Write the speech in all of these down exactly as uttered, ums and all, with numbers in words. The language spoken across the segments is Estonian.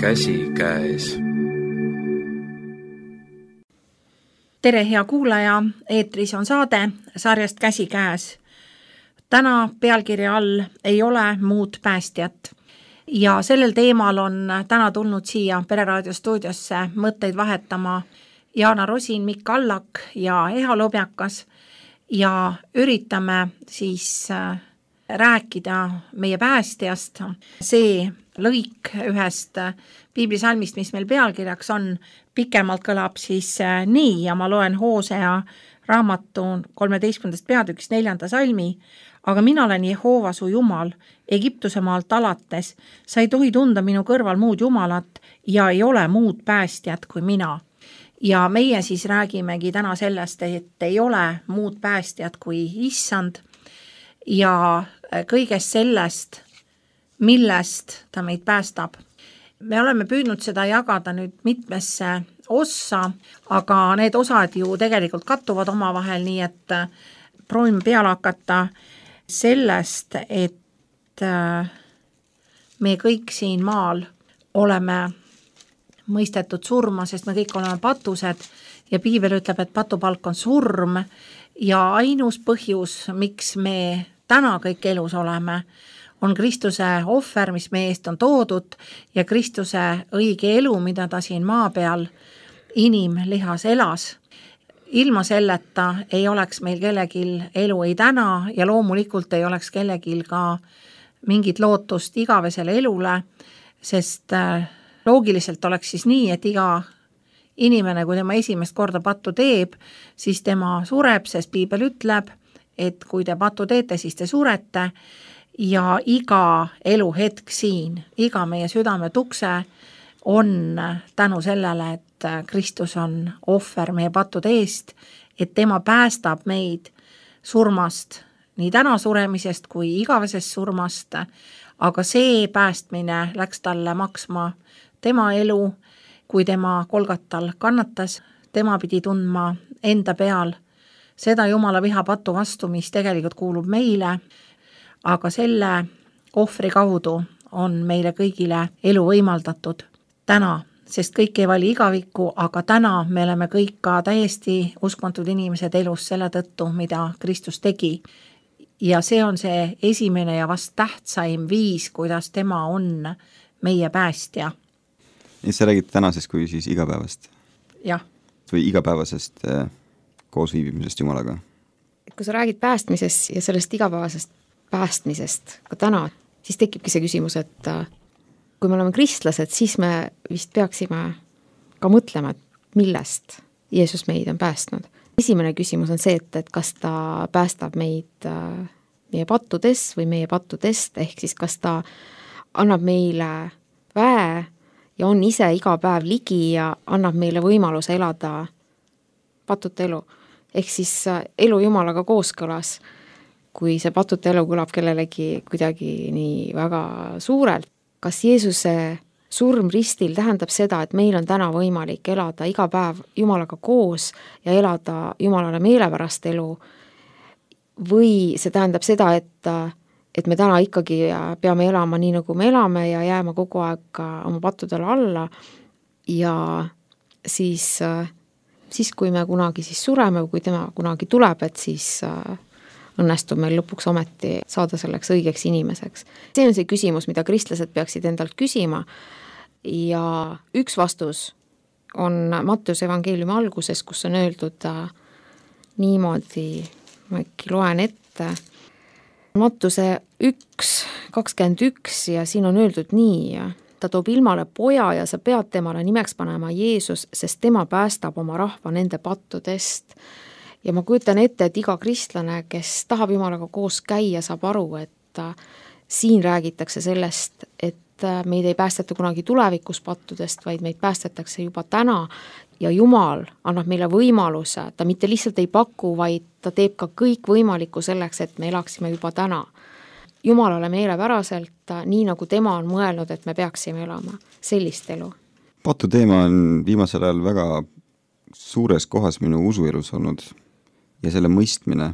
käsikäes. Tere, hea kuulaja, eetris on saade sarjast Käsikäes. Täna pealkirja all ei ole muud päästjat. Ja sellel teemal on täna tulnud siia Pereraadio stuudiosse mõtteid vahetama Jaana Rosin, Mikk Allak ja Eha Lobjakas ja üritame siis rääkida meie päästjast. See lõik ühest piiblisalmist, mis meil pealkirjaks on, pikemalt kõlab siis nii ja ma loen Hoosea raamatu kolmeteistkümnendast peatükist neljanda salmi. Aga mina olen Jehova su Jumal, Egiptuse maalt alates, sa ei tohi tunda minu kõrval muud Jumalat ja ei ole muud päästjat kui mina. Ja meie siis räägimegi täna sellest, et ei ole muud päästjat kui issand ja kõigest sellest, millest ta meid päästab. Me oleme püüdnud seda jagada nüüd mitmesse ossa, aga need osad ju tegelikult kattuvad omavahel, nii et proovime peale hakata sellest, et me kõik siin maal oleme mõistetud surma, sest me kõik oleme patused ja piibel ütleb, et patupalk on surm ja ainus põhjus, miks me täna kõik elus oleme, on Kristuse ohver, mis meie eest on toodud ja Kristuse õige elu, mida ta siin maa peal inimlihas elas. Ilma selleta ei oleks meil kellegil elu ei täna ja loomulikult ei oleks kellegil ka mingit lootust igavesele elule, sest loogiliselt oleks siis nii, et iga inimene, kui tema esimest korda pattu teeb, siis tema sureb, sest piibel ütleb, et kui te pattu teete, siis te surete ja iga eluhetk siin, iga meie südame tukse on tänu sellele, et Kristus on ohver meie pattude eest, et tema päästab meid surmast, nii täna suremisest kui igavesest surmast, aga see päästmine läks talle maksma tema elu, kui tema Kolgatal kannatas, tema pidi tundma enda peal seda Jumala viha patu vastu, mis tegelikult kuulub meile, aga selle ohvri kaudu on meile kõigile elu võimaldatud täna, sest kõik ei vali igavikku, aga täna me oleme kõik ka täiesti uskmatud inimesed elus selle tõttu, mida Kristus tegi. Ja see on see esimene ja vast tähtsaim viis, kuidas tema on meie päästja. Ja sa räägid tänasest kui siis igapäevast? Jah. Või igapäevasest äh, koosviibimisest Jumalaga? Kui sa räägid päästmisest ja sellest igapäevasest päästmisest ka täna, siis tekibki see küsimus, et kui me oleme kristlased, siis me vist peaksime ka mõtlema, et millest Jeesus meid on päästnud. Esimene küsimus on see, et, et kas ta päästab meid meie pattudes või meie pattudest, ehk siis kas ta annab meile väe ja on ise iga päev ligi ja annab meile võimaluse elada patute elu. Ehk siis elu Jumalaga kooskõlas, kui see patute elu kõlab kellelegi kuidagi nii väga suurelt. Kas Jeesuse surm ristil tähendab seda, et meil on täna võimalik elada iga päev Jumalaga koos ja elada Jumalale meelepärast elu või see tähendab seda, et, et me täna ikkagi peame elama nii, nagu me elame ja jääma kogu aeg oma pattudele alla ja siis, siis kui me kunagi siis sureme või kui tema kunagi tuleb, et siis õnnestub meil lõpuks ometi saada selleks õigeks inimeseks. See on see küsimus, mida kristlased peaksid endalt küsima ja üks vastus on Matteuse evangeeliumi alguses, kus on öeldud niimoodi, ma äkki loen ette, Mattuse üks kakskümmend üks ja siin on öeldud nii, ta toob ilmale poja ja sa pead temale nimeks panema Jeesus, sest tema päästab oma rahva nende pattudest. Ja ma kujutan ette, et iga kristlane, kes tahab Jumalaga koos käia, saab aru, et siin räägitakse sellest, et meid ei päästeta kunagi tulevikus pattudest, vaid meid päästetakse juba täna ja Jumal annab meile võimaluse, ta mitte lihtsalt ei paku, vaid ta teeb ka kõik võimalikku selleks, et me elaksime juba täna. Jumalale meelepäraselt, nii nagu tema on mõelnud, et me peaksime elama sellist elu. Patu teema on viimasel ajal väga suures kohas minu usuelus olnud ja selle mõistmine.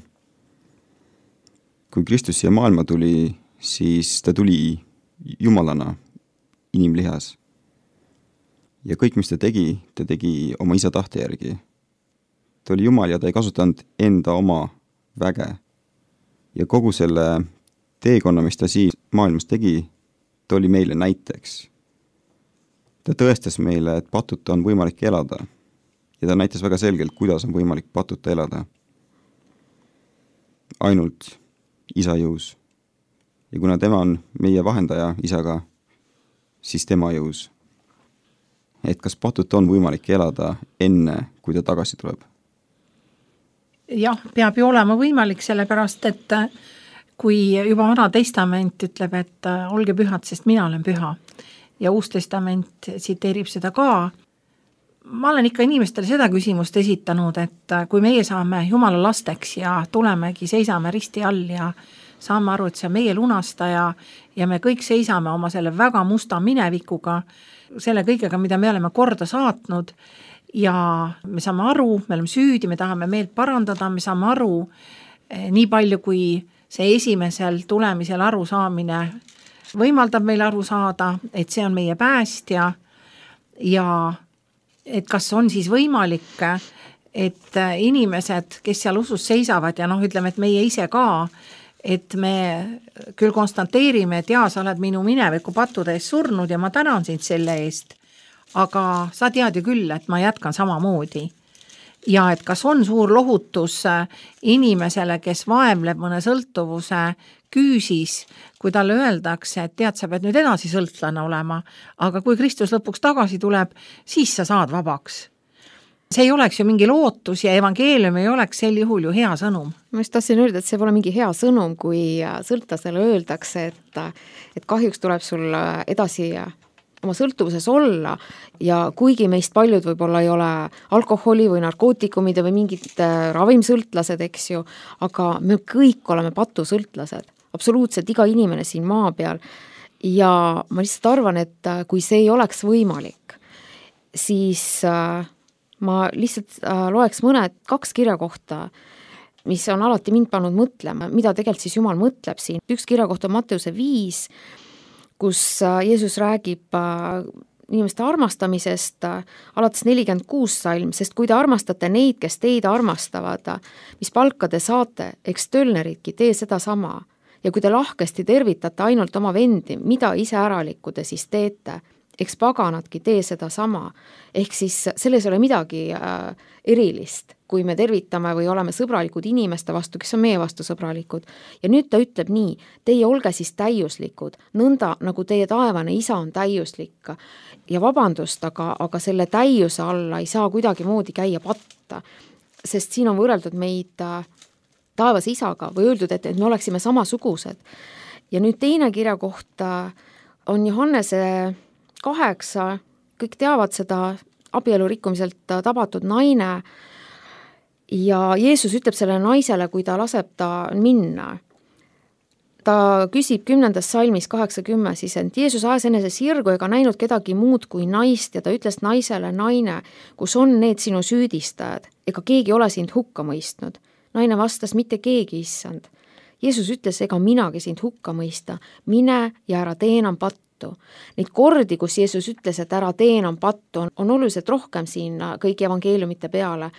Kui Kristus siia maailma tuli, siis ta tuli jumalana inimlihas. ja kõik, mis ta tegi, ta tegi oma isa tahte järgi. Ta oli Jumal ja ta ei kasutanud enda oma väge. Ja kogu selle teekonna, mis ta siin maailmas tegi, ta oli meile näiteks. Ta tõestas meile, et patuta on võimalik elada ja ta näitas väga selgelt, kuidas on võimalik patuta elada. Ainult isa jõus. Ja kuna tema on meie vahendaja isaga, siis tema jõus. Et kas patuta on võimalik elada enne, kui ta tagasi tuleb? Jah, peab ju olema võimalik, sellepärast, et kui juba Vana Testament ütleb, et olge pühad, sest mina olen püha ja Uus Testament tsiteerib seda ka. Ma olen ikka inimestele seda küsimust esitanud, et kui meie saame Jumala lasteks ja tulemegi, seisame risti all ja saame aru, et see on meie lunastaja ja me kõik seisame oma selle väga musta minevikuga, selle kõigega, mida me oleme korda saatnud ja me saame aru, me oleme süüdi, me tahame meelt parandada, me saame aru nii palju, kui see esimesel tulemisel aru saamine võimaldab meil aru saada, et see on meie päästja ja et kas on siis võimalik, et inimesed, kes seal usus seisavad ja noh, ütleme, et meie ise ka, et me küll konstanteerime, et jaa, sa oled minu mineviku pattude eest surnud ja ma tänan sind selle eest, aga sa tead ju küll, et ma jätkan samamoodi. Ja et kas on suur lohutus inimesele, kes vaemleb mõne sõltuvuse küüsis, kui talle öeldakse, et tead, sa pead nüüd edasi sõltlane olema, aga kui Kristus lõpuks tagasi tuleb, siis sa saad vabaks. See ei oleks ju mingi lootus ja evangeelium ei oleks sel juhul ju hea sõnum. Ma just tahtsin öelda, et see pole mingi hea sõnum, kui sõltlasele öeldakse, et, et kahjuks tuleb sul edasi oma sõltuvuses olla ja kuigi meist paljud võib-olla ei ole alkoholi või narkootikumide või mingid ravimsõltlased, eks ju, aga me kõik oleme patusõltlased, absoluutselt iga inimene siin maa peal ja ma lihtsalt arvan, et kui see ei oleks võimalik, siis ma lihtsalt loeks mõned kaks kirja kohta, mis on alati mind pannud mõtlema, mida tegelikult siis Jumal mõtleb siin. Üks kirja kohta on Matteuse viis, kus Jeesus räägib inimeste armastamisest alates nelikümmend kuus salm, sest kui te armastate neid, kes teid armastavad, mis palka te saate, eks tölneridki, tee seda sama. Ja kui te lahkesti tervitate ainult oma vendi, mida ise äralikku te siis teete, eks paganadki tee seda sama. Ehk siis selles ei ole midagi erilist, kui me tervitame või oleme sõbralikud inimeste vastu, kes on meie vastu sõbralikud. Ja nüüd ta ütleb nii, teie olge siis täiuslikud, nõnda nagu teie taevane isa on täiuslik. Ja vabandust, aga, aga selle täiuse alla ei saa kuidagi moodi käia patta, sest siin on võrreldud meid taevas isaga või öeldud, et, et me oleksime samasugused. Ja nüüd teine kirja kohta on Johannese kaheksa, kõik teavad seda abielu rikkumiselt tabatud naine ja Jeesus ütleb sellele naisele, kui ta laseb ta minna. Ta küsib kümnendas salmis kaheksakümmend siis, et Jeesus ajas enese sirgu ega näinud kedagi muud kui naist ja ta ütles naisele, naine, kus on need sinu süüdistajad, ega keegi ole sind hukka mõistnud. Naine vastas, mitte keegi, issand. Jeesus ütles, ega minagi sind hukka mõista, mine ja ära tee enam pattu. Neid kordi, kus Jeesus ütles, et ära tee enam pattu, on, on oluliselt rohkem siin kõigi evangeeliumite peale.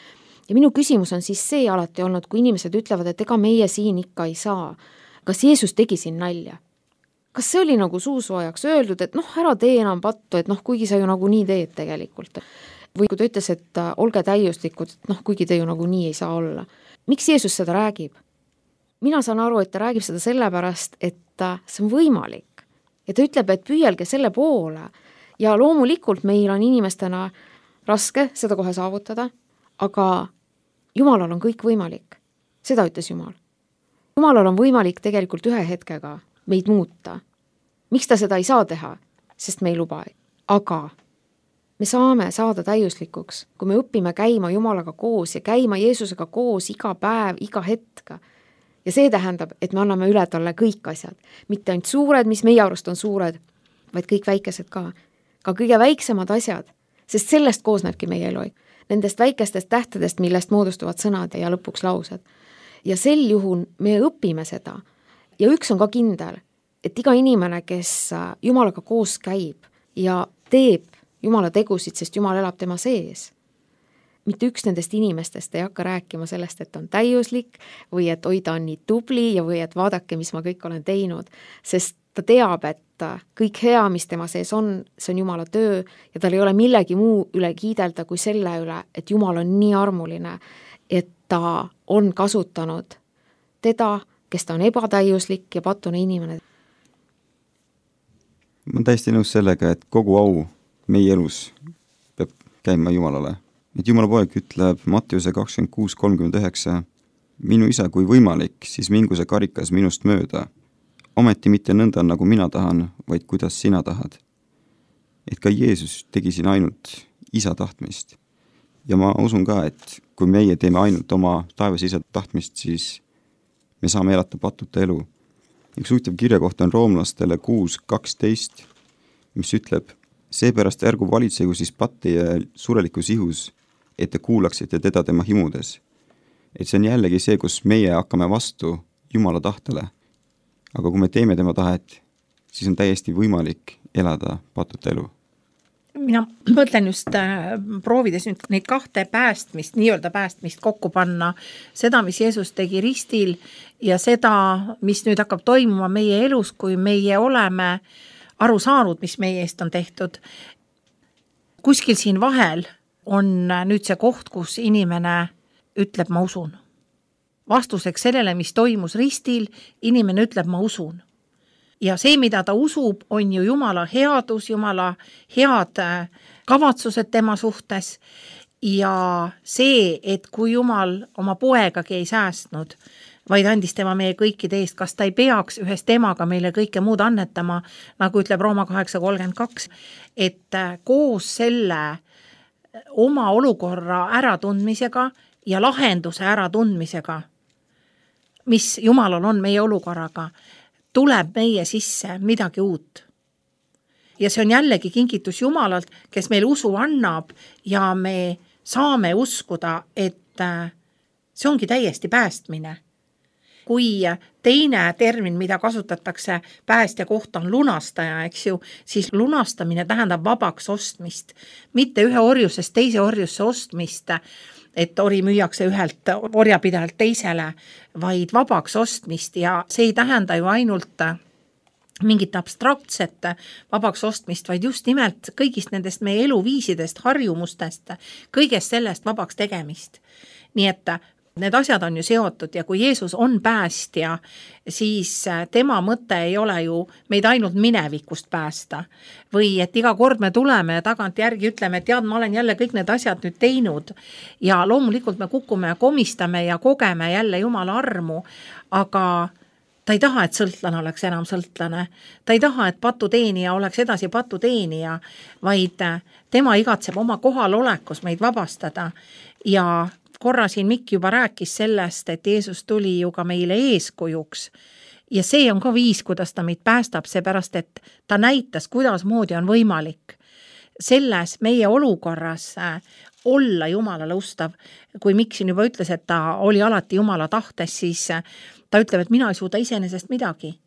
Ja minu küsimus on siis see alati olnud, kui inimesed ütlevad, et ega meie siin ikka ei saa. Kas Jeesus tegi siin nalja? Kas see oli nagu suusoojaks öeldud, et noh, ära tee enam pattu, et noh, kuigi sa ju nagu nii teed tegelikult. Või kui ta ütles, et olge täiuslikud, et noh, kuigi te ju nagu nii ei saa olla. Miks Jeesus seda räägib? Mina saan aru, et ta räägib seda sellepärast, et see on võimalik. Ja ta ütleb, et püüelge selle poole ja loomulikult meil on inimestena raske seda kohe saavutada, aga Jumalal on kõik võimalik. Seda ütles Jumal. Jumalal on võimalik tegelikult ühe hetkega meid muuta. Miks ta seda ei saa teha? Sest me ei luba. Aga me saame saada täiuslikuks, kui me õpime käima Jumalaga koos ja käima Jeesusega koos iga päev, iga hetk. Ja see tähendab, et me anname üle talle kõik asjad. Mitte ainult suured, mis meie arust on suured, vaid kõik väikesed ka. Ka kõige väiksemad asjad, sest sellest koosnebki meie elu. Nendest väikestest tähtedest, millest moodustuvad sõnad ja lõpuks laused. Ja sel juhul me õpime seda. Ja üks on ka kindel, et iga inimene, kes Jumalaga koos käib ja teeb Jumala tegusid, sest Jumal elab tema sees. Mitte üks nendest inimestest ei hakka rääkima sellest, et on täiuslik või et oi, ta on nii tubli ja või et vaadake, mis ma kõik olen teinud, sest ta teab, et kõik hea, mis tema sees on, see on Jumala töö ja tal ei ole millegi muu üle kiidelda kui selle üle, et Jumal on nii armuline, et ta on kasutanud teda, kes ta on ebatäiuslik ja patune inimene. Ma olen täiesti nõus sellega, et kogu au meie elus peab käima Jumalale. Et Jumala poeg ütleb Mattiuse kakskümmend kuus kolmkümmend üheksa, minu isa, kui võimalik, siis mingu see karikas minust mööda. Ometi mitte nõnda, nagu mina tahan, vaid kuidas sina tahad. Et ka Jeesus tegi siin ainult isa tahtmist. Ja ma usun ka, et kui meie teeme ainult oma taevas isa tahtmist, siis me saame elata patuta elu. Üks huvitav kirja kohta on roomlastele kuus kaksteist, mis ütleb, seepärast ärgu valitsegu siis patti ja surelikus ihus, et te kuulaksite teda tema himudes. Et see on jällegi see, kus meie hakkame vastu Jumala tahtele. Aga kui me teeme tema tahet, siis on täiesti võimalik elada patuta elu. Mina mõtlen just äh, proovides nüüd neid kahte päästmist, nii-öelda päästmist kokku panna, seda, mis Jeesus tegi ristil ja seda, mis nüüd hakkab toimuma meie elus, kui meie oleme aru saanud, mis meie eest on tehtud. Kuskil siin vahel on nüüd see koht, kus inimene ütleb, ma usun. Vastuseks sellele, mis toimus ristil, inimene ütleb, ma usun. Ja see, mida ta usub, on ju Jumala headus, Jumala head kavatsused tema suhtes ja see, et kui Jumal oma poegagi ei säästnud, vaid andis tema meie kõikide eest, kas ta ei peaks ühes temaga meile kõike muud annetama, nagu ütleb Rooma kaheksa kolmkümmend kaks, et koos selle oma olukorra äratundmisega ja lahenduse äratundmisega, mis Jumalal on meie olukorraga, tuleb meie sisse midagi uut. Ja see on jällegi kingitus Jumalalt, kes meil usu annab ja me saame uskuda, et see ongi täiesti päästmine. Kui teine termin, mida kasutatakse päästja kohta on lunastaja, eks ju, siis lunastamine tähendab vabaks ostmist, mitte ühe orjusest teise orjusse ostmist, et ori müüakse ühelt orjapidajalt teisele, vaid vabaks ostmist ja see ei tähenda ju ainult mingit abstraktset vabaks ostmist, vaid just nimelt kõigist nendest meie eluviisidest, harjumustest, kõigest sellest vabaks tegemist. Nii et need asjad on ju seotud ja kui Jeesus on päästja, siis tema mõte ei ole ju meid ainult minevikust päästa. Või et iga kord me tuleme ja tagant järgi ütleme, et tead, ma olen jälle kõik need asjad nüüd teinud ja loomulikult me kukume ja komistame ja kogeme jälle Jumala armu, aga ta ei taha, et sõltlane oleks enam sõltlane. Ta ei taha, et patuteenija oleks edasi patuteenija, vaid tema igatseb oma kohalolekus meid vabastada ja korra siin Mikk juba rääkis sellest, et Jeesus tuli ju ka meile eeskujuks ja see on ka viis, kuidas ta meid päästab, seepärast, et ta näitas, kuidas moodi on võimalik selles meie olukorras olla Jumalale ustav. Kui Mikk siin juba ütles, et ta oli alati Jumala tahtes, siis ta ütleb, et mina ei suuda iseenesest midagi.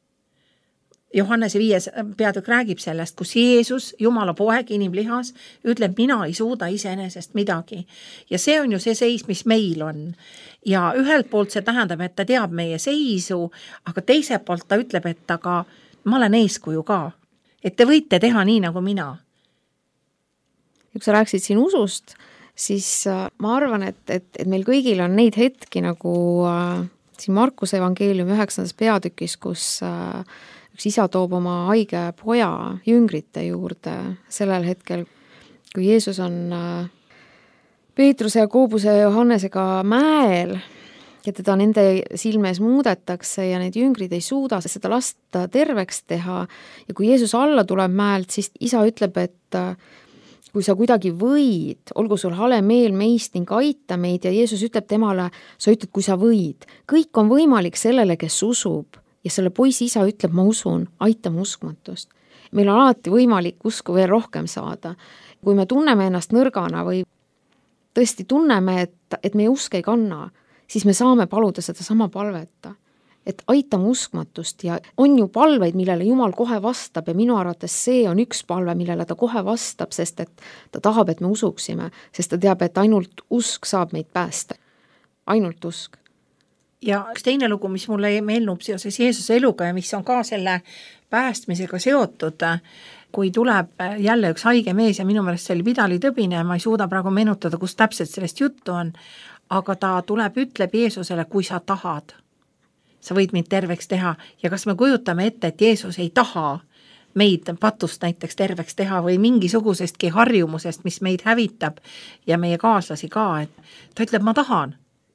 Johannese viies peatükk räägib sellest, kus Jeesus, Jumala poeg, inimlihas, ütleb, mina ei suuda iseenesest midagi. Ja see on ju see seis, mis meil on. Ja ühelt poolt see tähendab, et ta teab meie seisu, aga teiselt poolt ta ütleb, et aga ma olen eeskuju ka. Et te võite teha nii nagu mina. Ja kui sa rääksid siin usust, siis ma arvan, et, et, et meil kõigil on neid hetki nagu äh, siin Markuse evangeeliumi üheksandas peatükis, kus äh, üks isa toob oma haige poja jüngrite juurde sellel hetkel, kui Jeesus on Peetruse ja Koobuse ja Johannesega mäel ja teda nende silmes muudetakse ja need jüngrid ei suuda seda lasta terveks teha ja kui Jeesus alla tuleb mäelt, siis isa ütleb, et kui sa kuidagi võid, olgu sul hale meel meist ning aita meid ja Jeesus ütleb temale, sa ütled, kui sa võid. Kõik on võimalik sellele, kes usub. Ja selle poisi isa ütleb, ma usun, aita mu uskmatust. Meil on alati võimalik usku veel rohkem saada. Kui me tunneme ennast nõrgana või tõesti tunneme, et, et meie usk ei kanna, siis me saame paluda seda sama palveta. et aitame uskmatust ja on ju palveid, millele Jumal kohe vastab ja minu arvates see on üks palve, millele ta kohe vastab, sest et ta tahab, et me usuksime, sest ta teab, et ainult usk saab meid päästa. Ainult usk. Ja üks teine lugu, mis mulle meenub seoses Jeesuse eluga ja mis on ka selle päästmisega seotud, kui tuleb jälle üks haige mees ja minu meelest see oli Pidali Tõbine, ma ei suuda praegu meenutada, kus täpselt sellest juttu on, aga ta tuleb, ütleb Jeesusele, kui sa tahad, sa võid mind terveks teha ja kas me kujutame ette, et Jeesus ei taha meid patust näiteks terveks teha või mingisugusestki harjumusest, mis meid hävitab ja meie kaaslasi ka, et ta ütleb, ma tahan.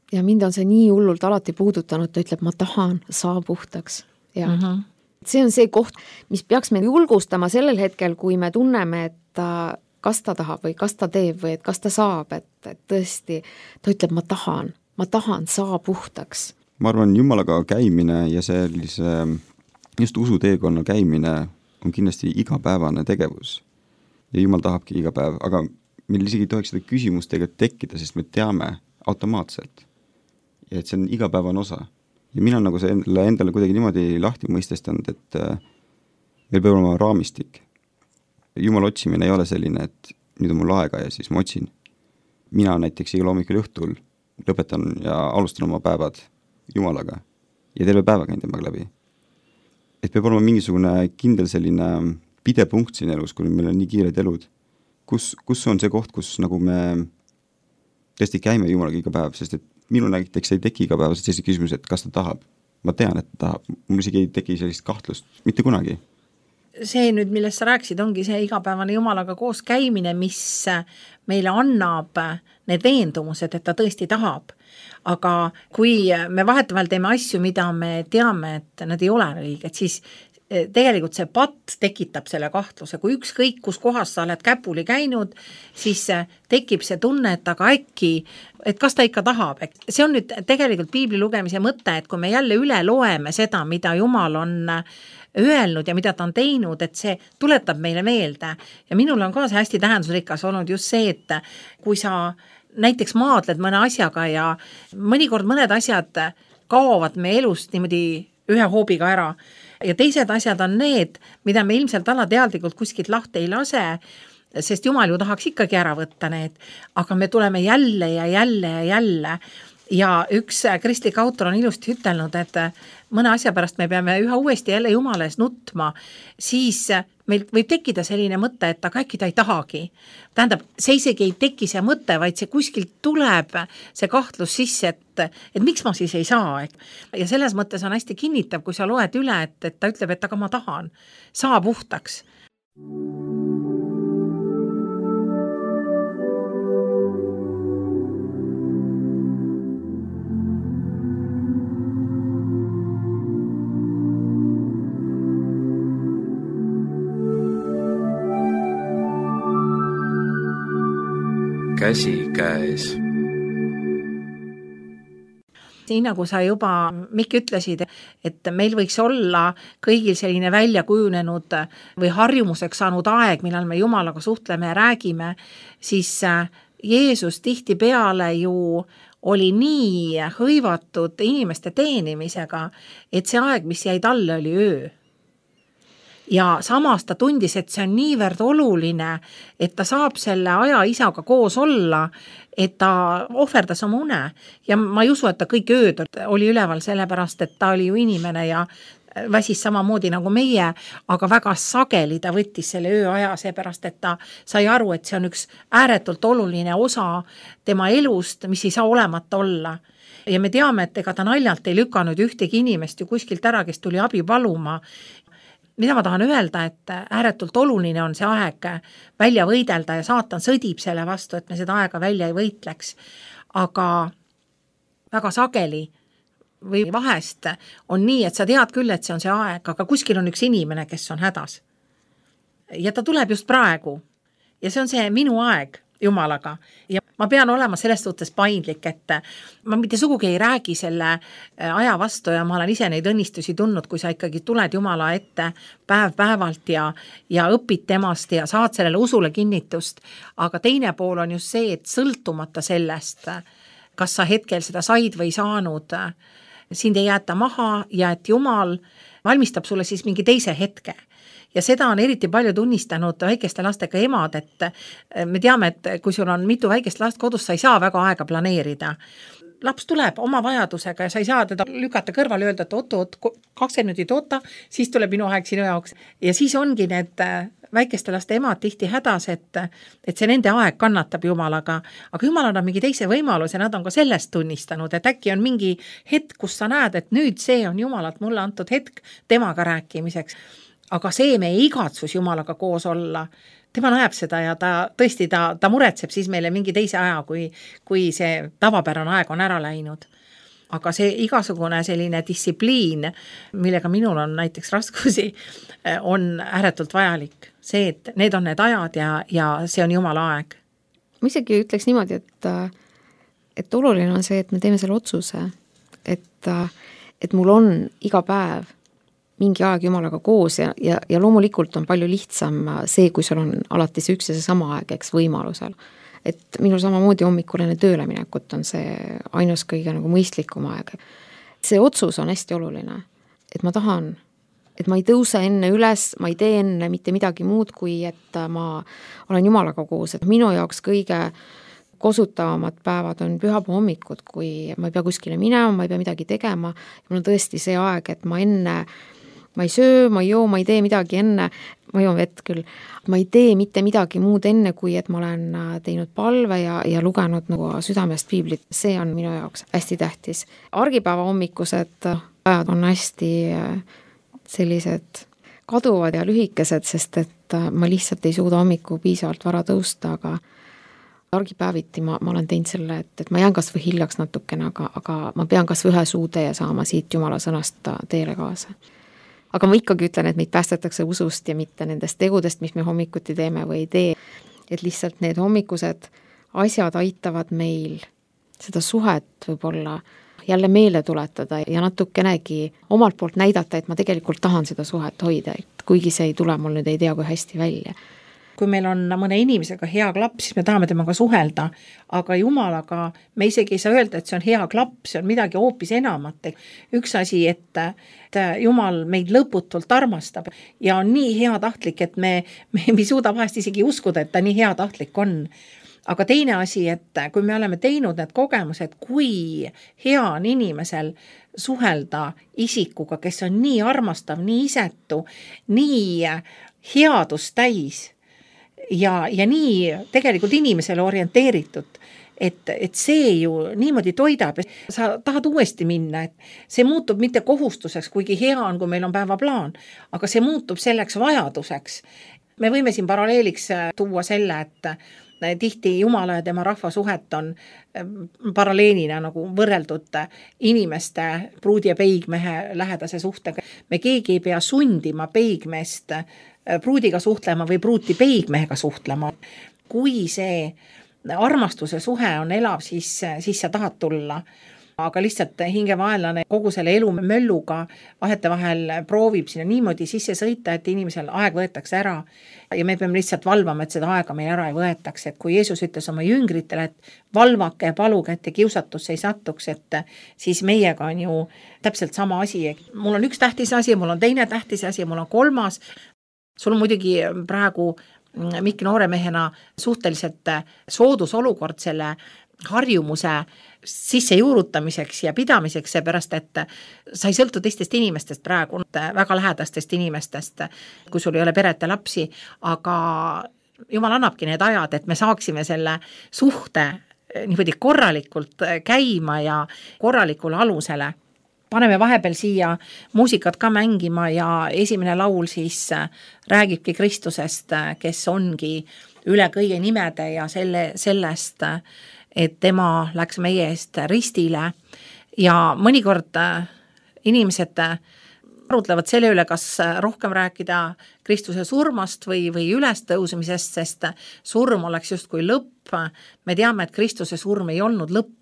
Ja mind on see nii hullult alati puudutanud, ta ütleb, ma tahan, saa puhtaks. Ja mm -hmm. see on see koht, mis peaks me julgustama sellel hetkel, kui me tunneme, et ta, kas ta tahab või kas ta teeb või et kas ta saab, et, et tõesti, ta ütleb, ma tahan, ma tahan, saa puhtaks. Ma arvan, Jumalaga käimine ja sellise just usuteekonna käimine on kindlasti igapäevane tegevus. Ja Jumal tahabki iga päev, aga meil isegi ei tohiks seda küsimust tegelikult tekkida, sest me teame automaatselt. Ja et see on igapäevane osa. Ja mina nagu see endale, endale kuidagi niimoodi lahti mõistestanud, et meil peab olema raamistik. Jumala otsimine ei ole selline, et nüüd on mul aega ja siis ma otsin. Mina näiteks iga hommikul õhtul lõpetan ja alustan oma päevad Jumalaga ja terve päeva käin temaga läbi. Et peab olema mingisugune kindel selline pidepunkt siin elus, kui meil on nii kiired elud. Kus, kus on see koht, kus nagu me tõesti käime Jumalaga iga päev, sest et minu näiteks ei teki iga päev sellise küsimus, et kas ta tahab. Ma tean, et ta tahab. Mul isegi ei teki sellist kahtlust mitte kunagi. See nüüd, millest sa rääkisid, ongi see igapäevane Jumalaga koos käimine, mis meile annab need veendumused, et ta tõesti tahab. Aga kui me vahetevahel teeme asju, mida me teame, et nad ei ole õiged, siis tegelikult see patt tekitab selle kahtluse. Kui ükskõik, kus kohas sa oled käpuli käinud, siis tekib see tunne, et aga äkki, et kas ta ikka tahab. See on nüüd tegelikult piibli lugemise mõte, et kui me jälle üle loeme seda, mida Jumal on öelnud ja mida ta on teinud, et see tuletab meile meelde. Ja minul on ka see hästi tähendusrikas olnud just see, et kui sa näiteks maadled mõne asjaga ja mõnikord mõned asjad kaovad me elust niimoodi ühe hoobiga ära ja teised asjad on need, mida me ilmselt alateadlikult kuskilt lahti ei lase, sest Jumal ju tahaks ikkagi ära võtta need, aga me tuleme jälle ja jälle ja jälle ja üks kristlik autor on ilusti ütelnud, et mõne asja pärast me peame üha uuesti jälle Jumala ees nutma, siis meil võib tekkida selline mõte, et aga äkki ta ei tahagi. Tähendab, see isegi ei teki see mõte, vaid see kuskilt tuleb see kahtlus sisse, et, et miks ma siis ei saa. Ja selles mõttes on hästi kinnitav, kui sa loed üle, et, et ta ütleb, et aga ma tahan, saa puhtaks. Käsi käes. Nii nagu sa juba, Mikk, ütlesid, et meil võiks olla kõigil selline välja kujunenud või harjumuseks saanud aeg, millal me Jumalaga suhtleme ja räägime, siis Jeesus tihtipeale ju oli nii hõivatud inimeste teenimisega, et see aeg, mis jäi talle, oli öö. Ja samas ta tundis, et see on niivõrd oluline, et ta saab selle aja isaga koos olla, et ta ohverdas oma une. Ja ma ei usu, et ta kõik ööd oli üleval sellepärast, et ta oli ju inimene ja väsis samamoodi nagu meie, aga väga sageli ta võttis selle ööaja seepärast, et ta sai aru, et see on üks ääretult oluline osa tema elust, mis ei saa olemata olla. Ja me teame, et ega ta naljalt ei lükanud ühtegi inimest ju kuskilt ära, kes tuli abi paluma. Mida ma tahan öelda, et ääretult oluline on see aeg välja võidelda ja saatan sõdib selle vastu, et me seda aega välja ei võitleks. Aga väga sageli või vahest on nii, et sa tead küll, et see on see aeg, aga kuskil on üks inimene, kes on hädas. Ja ta tuleb just praegu. Ja see on see minu aeg Jumalaga. Ja ma pean olema selles suhtes paindlik, et ma mitte sugugi ei räägi selle aja vastu ja ma olen ise neid õnnistusi tundnud, kui sa ikkagi tuled Jumala ette päev päevalt ja, ja õpid temast ja saad sellele usule kinnitust. Aga teine pool on just see, et sõltumata sellest, kas sa hetkel seda said või saanud, sind ei jäeta maha ja et Jumal valmistab sulle siis mingi teise hetke. Ja seda on eriti palju tunnistanud väikeste lastega emad, et me teame, et kui sul on mitu väikest last kodus, sa ei saa väga aega planeerida. Laps tuleb oma vajadusega ja sa ei saa teda lükata kõrval ja öelda, et oot, oot, kakskümmend minutit oota, siis tuleb minu aeg sinu jaoks. Ja siis ongi need väikeste laste emad tihti hädas, et, et see nende aeg kannatab Jumalaga, aga Jumal annab mingi teise võimaluse, nad on ka sellest tunnistanud, et äkki on mingi hetk, kus sa näed, et nüüd see on Jumalalt mulle antud hetk temaga rääkimiseks. Aga see meie igatsus Jumalaga koos olla, tema näeb seda ja ta tõesti, ta, ta muretseb siis meile mingi teise aja, kui, kui see tavapärane aeg on ära läinud. Aga see igasugune selline distsipliin, millega minul on näiteks raskusi, on ääretult vajalik. See, et need on need ajad ja, ja see on Jumala aeg. Ma isegi ütleks niimoodi, et, et oluline on see, et me teeme selle otsuse, et, et mul on iga päev mingi aeg Jumalaga koos ja, ja, ja loomulikult on palju lihtsam see, kui sul on alati see üks ja see sama aeg, eks võimalusel. Et minul samamoodi hommikul enne tööle minekut on see ainus kõige nagu mõistlikum aeg. See otsus on hästi oluline, et ma tahan, et ma ei tõuse enne üles, ma ei tee enne mitte midagi muud, kui et ma olen Jumalaga koos, et minu jaoks kõige kosutavamad päevad on pühapäeva hommikud, kui ma ei pea kuskile minema, ma ei pea midagi tegema ja mul on tõesti see aeg, et ma enne ma ei söö, ma ei joo, ma ei tee midagi enne, ma joon vett küll, ma ei tee mitte midagi muud enne, kui et ma olen teinud palve ja, ja lugenud nagu südamest piiblit, see on minu jaoks hästi tähtis. Argipäeva hommikused ajad on hästi sellised kaduvad ja lühikesed, sest et ma lihtsalt ei suuda hommiku piisavalt vara tõusta, aga argipäeviti ma, ma olen teinud selle, et, et ma jään kas või hiljaks natukene, aga, aga ma pean kas või ühe suutäie saama siit Jumala sõnast teele kaasa. Aga ma ikkagi ütlen, et meid päästetakse usust ja mitte nendest tegudest, mis me hommikuti teeme või ei tee. Et lihtsalt need hommikused asjad aitavad meil seda suhet võib-olla jälle meele tuletada ja natukenegi omalt poolt näidata, et ma tegelikult tahan seda suhet hoida, et kuigi see ei tule, mul nüüd ei tea, kui hästi välja. Kui meil on mõne inimesega hea klapp, siis me tahame temaga suhelda, aga Jumalaga me isegi ei saa öelda, et see on hea klapp, see on midagi hoopis enamat. Üks asi, et, et Jumal meid lõputult armastab ja on nii hea tahtlik, et me, me ei suuda vahest isegi uskuda, et ta nii hea tahtlik on. Aga teine asi, et kui me oleme teinud need kogemused, kui hea on inimesel suhelda isikuga, kes on nii armastav, nii isetu, nii headust täis, ja, ja nii tegelikult inimesele orienteeritud, et, et see ju niimoodi toidab, sa tahad uuesti minna, et see muutub mitte kohustuseks, kuigi hea on, kui meil on päevaplaan, aga see muutub selleks vajaduseks. Me võime siin paralleeliks tuua selle, et tihti Jumala ja tema rahva suhet on paralleelina nagu võrreldud inimeste pruudi ja peigmehe lähedase suhtega. Me keegi ei pea sundima peigmeest pruudiga suhtlema või pruuti peigmehega suhtlema. Kui see armastuse suhe on elav, siis, siis sa tahad tulla. Aga lihtsalt hingevaenlane kogu selle elu mölluga vahete vahel proovib sinna niimoodi sisse sõita, et inimesel aeg võetakse ära. Ja me peame lihtsalt valvama, et seda aega meil ära ei võetaks. Et kui Jeesus ütles oma jüngritele, et valvake ja paluge, et kiusatusse ei satuks, et siis meiega on ju täpselt sama asi. Mul on üks tähtis asi, mul on teine tähtis asi, mul on kolmas. Sul on muidugi praegu Mikk nooremehena suhteliselt soodus olukord selle harjumuse sisse juurutamiseks ja pidamiseks, seepärast, et sa ei sõltu teistest inimestest praegu, väga lähedastest inimestest, kui sul ei ole peret ja lapsi, aga Jumal annabki need ajad, et me saaksime selle suhte niimoodi korralikult käima ja korralikule alusele. Paneme vahepeal siia muusikat ka mängima ja esimene laul siis räägibki Kristusest, kes ongi üle kõige nimede ja selle, sellest, et tema läks meie eest ristile ja mõnikord inimesed arutlevad selle üle, kas rohkem rääkida Kristuse surmast või, või ülestõusmisest, sest surm oleks justkui lõpp. Me teame, et Kristuse surm ei olnud lõpp,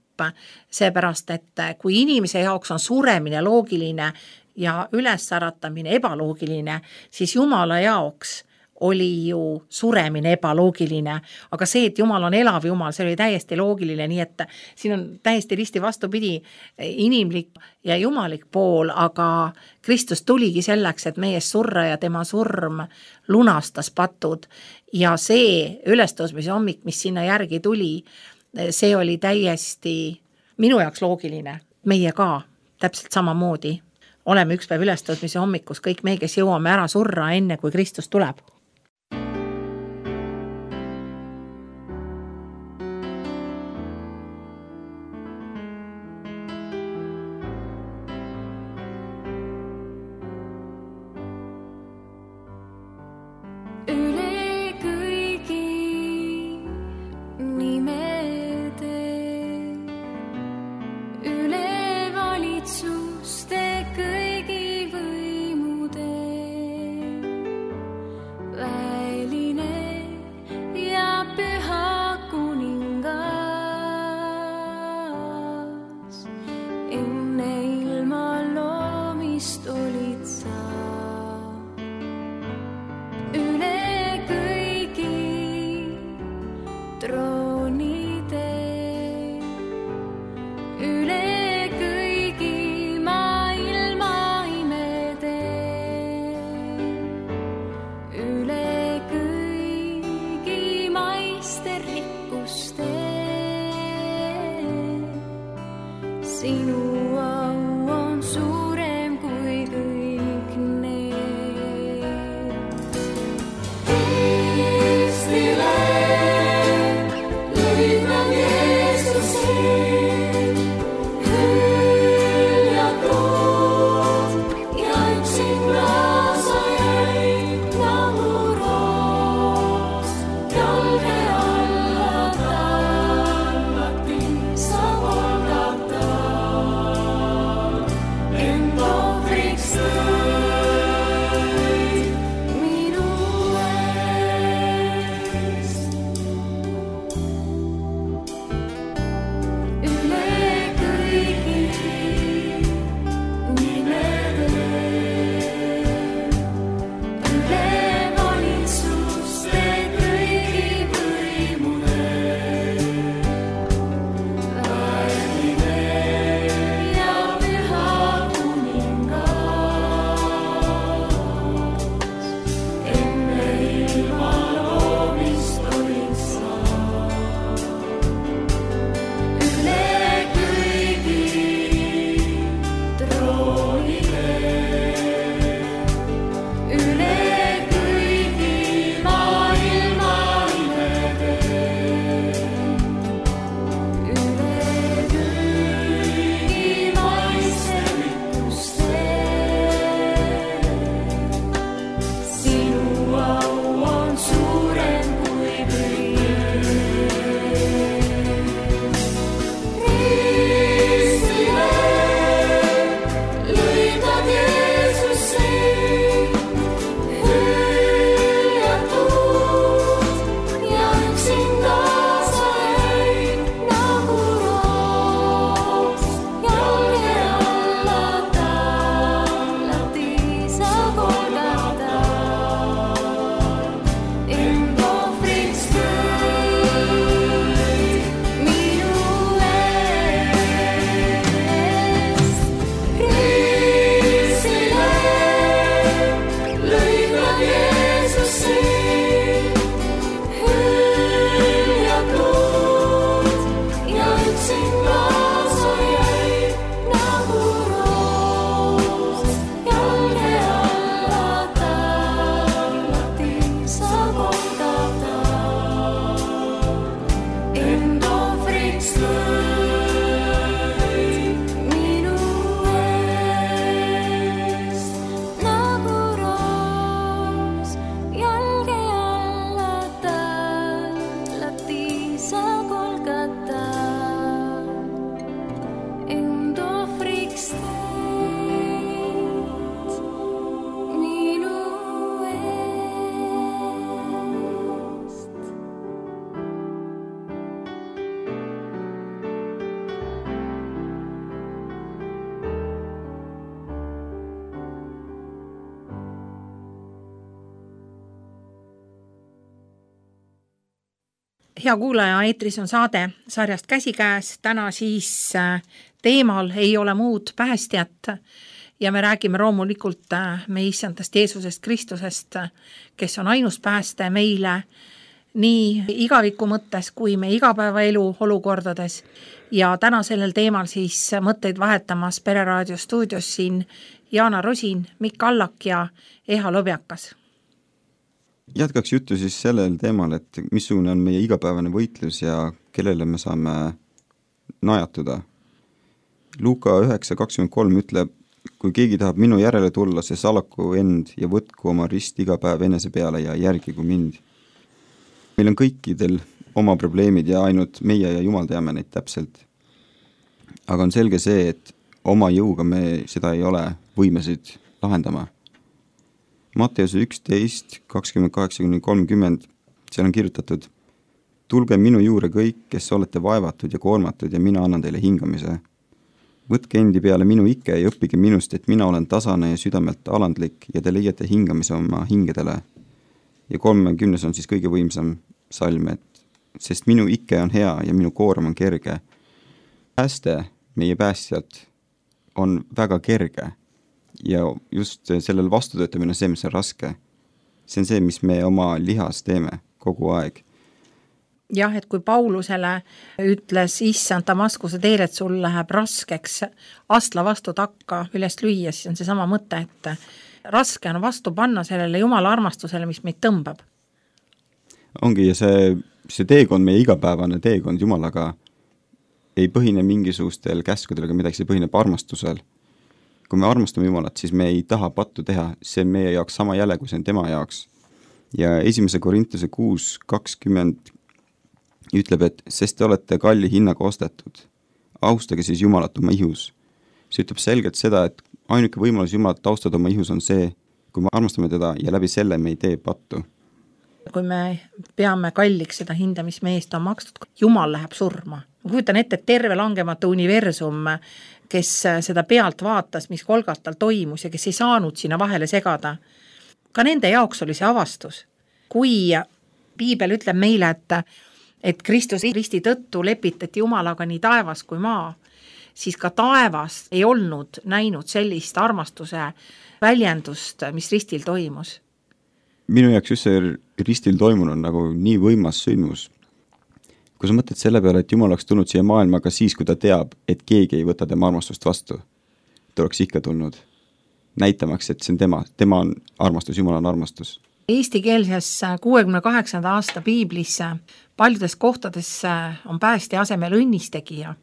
seepärast, et kui inimese jaoks on suremine loogiline ja ülessaраtamine ebaloogiline, siis Jumala jaoks oli ju suremine ebaloogiline, aga see, et Jumal on elav Jumal, see oli täiesti loogiline, nii et siin on täiesti risti vastupidi inimlik ja jumalik pool, aga Kristus tuligi selleks, et meie surra ja tema surm lunastas patud ja see ülestõusmise hommik, mis sinna järgi tuli, see oli täiesti minu jaoks loogiline, meie ka täpselt samamoodi. Oleme üks päev ülestõusmise hommikus, kõik me, kes jõuame ära surra enne, kui Kristus tuleb. Sa polgata hea kuulaja, eetris on saade sarjast Käsikäes, täna siis teemal ei ole muud päästjat ja me räägime loomulikult meie issandast Jeesusest Kristusest, kes on ainus pääste meile nii igaviku mõttes kui me igapäevaelu olukordades ja täna sellel teemal siis mõtteid vahetamas Pereraadio stuudios siin Jaana Rosin, Mikk Allak ja Eha Lobjakas. Jätkaks juttu siis sellel teemal, et missugune on meie igapäevane võitlus ja kellele me saame najatuda. Luuka üheksa kakskümmend kolm ütleb, kui keegi tahab minu järele tulla, see salaku end ja võtku oma rist iga päev enese peale ja järgigu mind. Meil on kõikidel oma probleemid ja ainult meie ja Jumal teame neid täpselt. Aga on selge see, et oma jõuga me seda ei ole võimesid lahendama. Matteuse üksteist kakskümmend kaheksa kuni kolmkümmend, seal on kirjutatud: tulge minu juurde kõik, kes olete vaevatud ja koormatud ja mina annan teile hingamise. Võtke endi peale minu ikke ja õppige minust, et mina olen tasane ja südamelt alandlik ja te leiate hingamise oma hingedele. Ja kolmekümnes on siis kõige võimsam salm, et sest minu ikke on hea ja minu koorem on kerge. Pääste meie päästjalt on väga kerge. Ja just sellel vastutöötamine on see, mis on raske. See on see, mis me oma lihas teeme kogu aeg. Jah, et kui Paulusele ütles issand Damaskuse teel, et sul läheb raskeks astla vastu takka üles lüüa, siis on see sama mõte, et raske on vastu panna sellele Jumala armastusele, mis meid tõmbab. Ongi, ja see, see teekond, meie igapäevane teekond Jumalaga ei põhine mingisugustel käskudel, aga midagi, see põhineb armastusel. Kui me armastame Jumalat, siis me ei taha pattu teha, see on meie jaoks sama jäle, kui see on tema jaoks. Ja esimese Korintuse kuus kakskümmend ütleb, et sest te olete kalli hinnaga ostetud. Austage siis Jumalat oma ihus. See ütleb selgelt seda, et ainuke võimalus Jumalat austada oma ihus on see, kui me armastame teda ja läbi selle me ei tee pattu. Kui me peame kalliks seda hinda, mis meie eest on makstud, Jumal läheb surma. Ma kujutan ette, et terve langematu universum, kes seda pealt vaatas, mis Golgatal toimus ja kes ei saanud sinna vahele segada. Ka nende jaoks oli see avastus. Kui Piibel ütleb meile, et, et Kristus risti tõttu lepitati Jumalaga nii taevas kui maa, siis ka taevas ei olnud näinud sellist armastuse väljendust, mis ristil toimus. Minu jaoks just see ristil toimunud nagu nii võimas sündmus. Kui sa mõtled selle peale, et Jumal oleks tulnud siia maailmaga siis, kui ta teab, et keegi ei võta tema armastust vastu, ta oleks ikka tulnud näitamaks, et see on tema, tema on armastus, Jumal on armastus. Eestikeelses kuuekümne kaheksanda aasta Piiblis paljudes kohtades on päästja asemel õnnistegija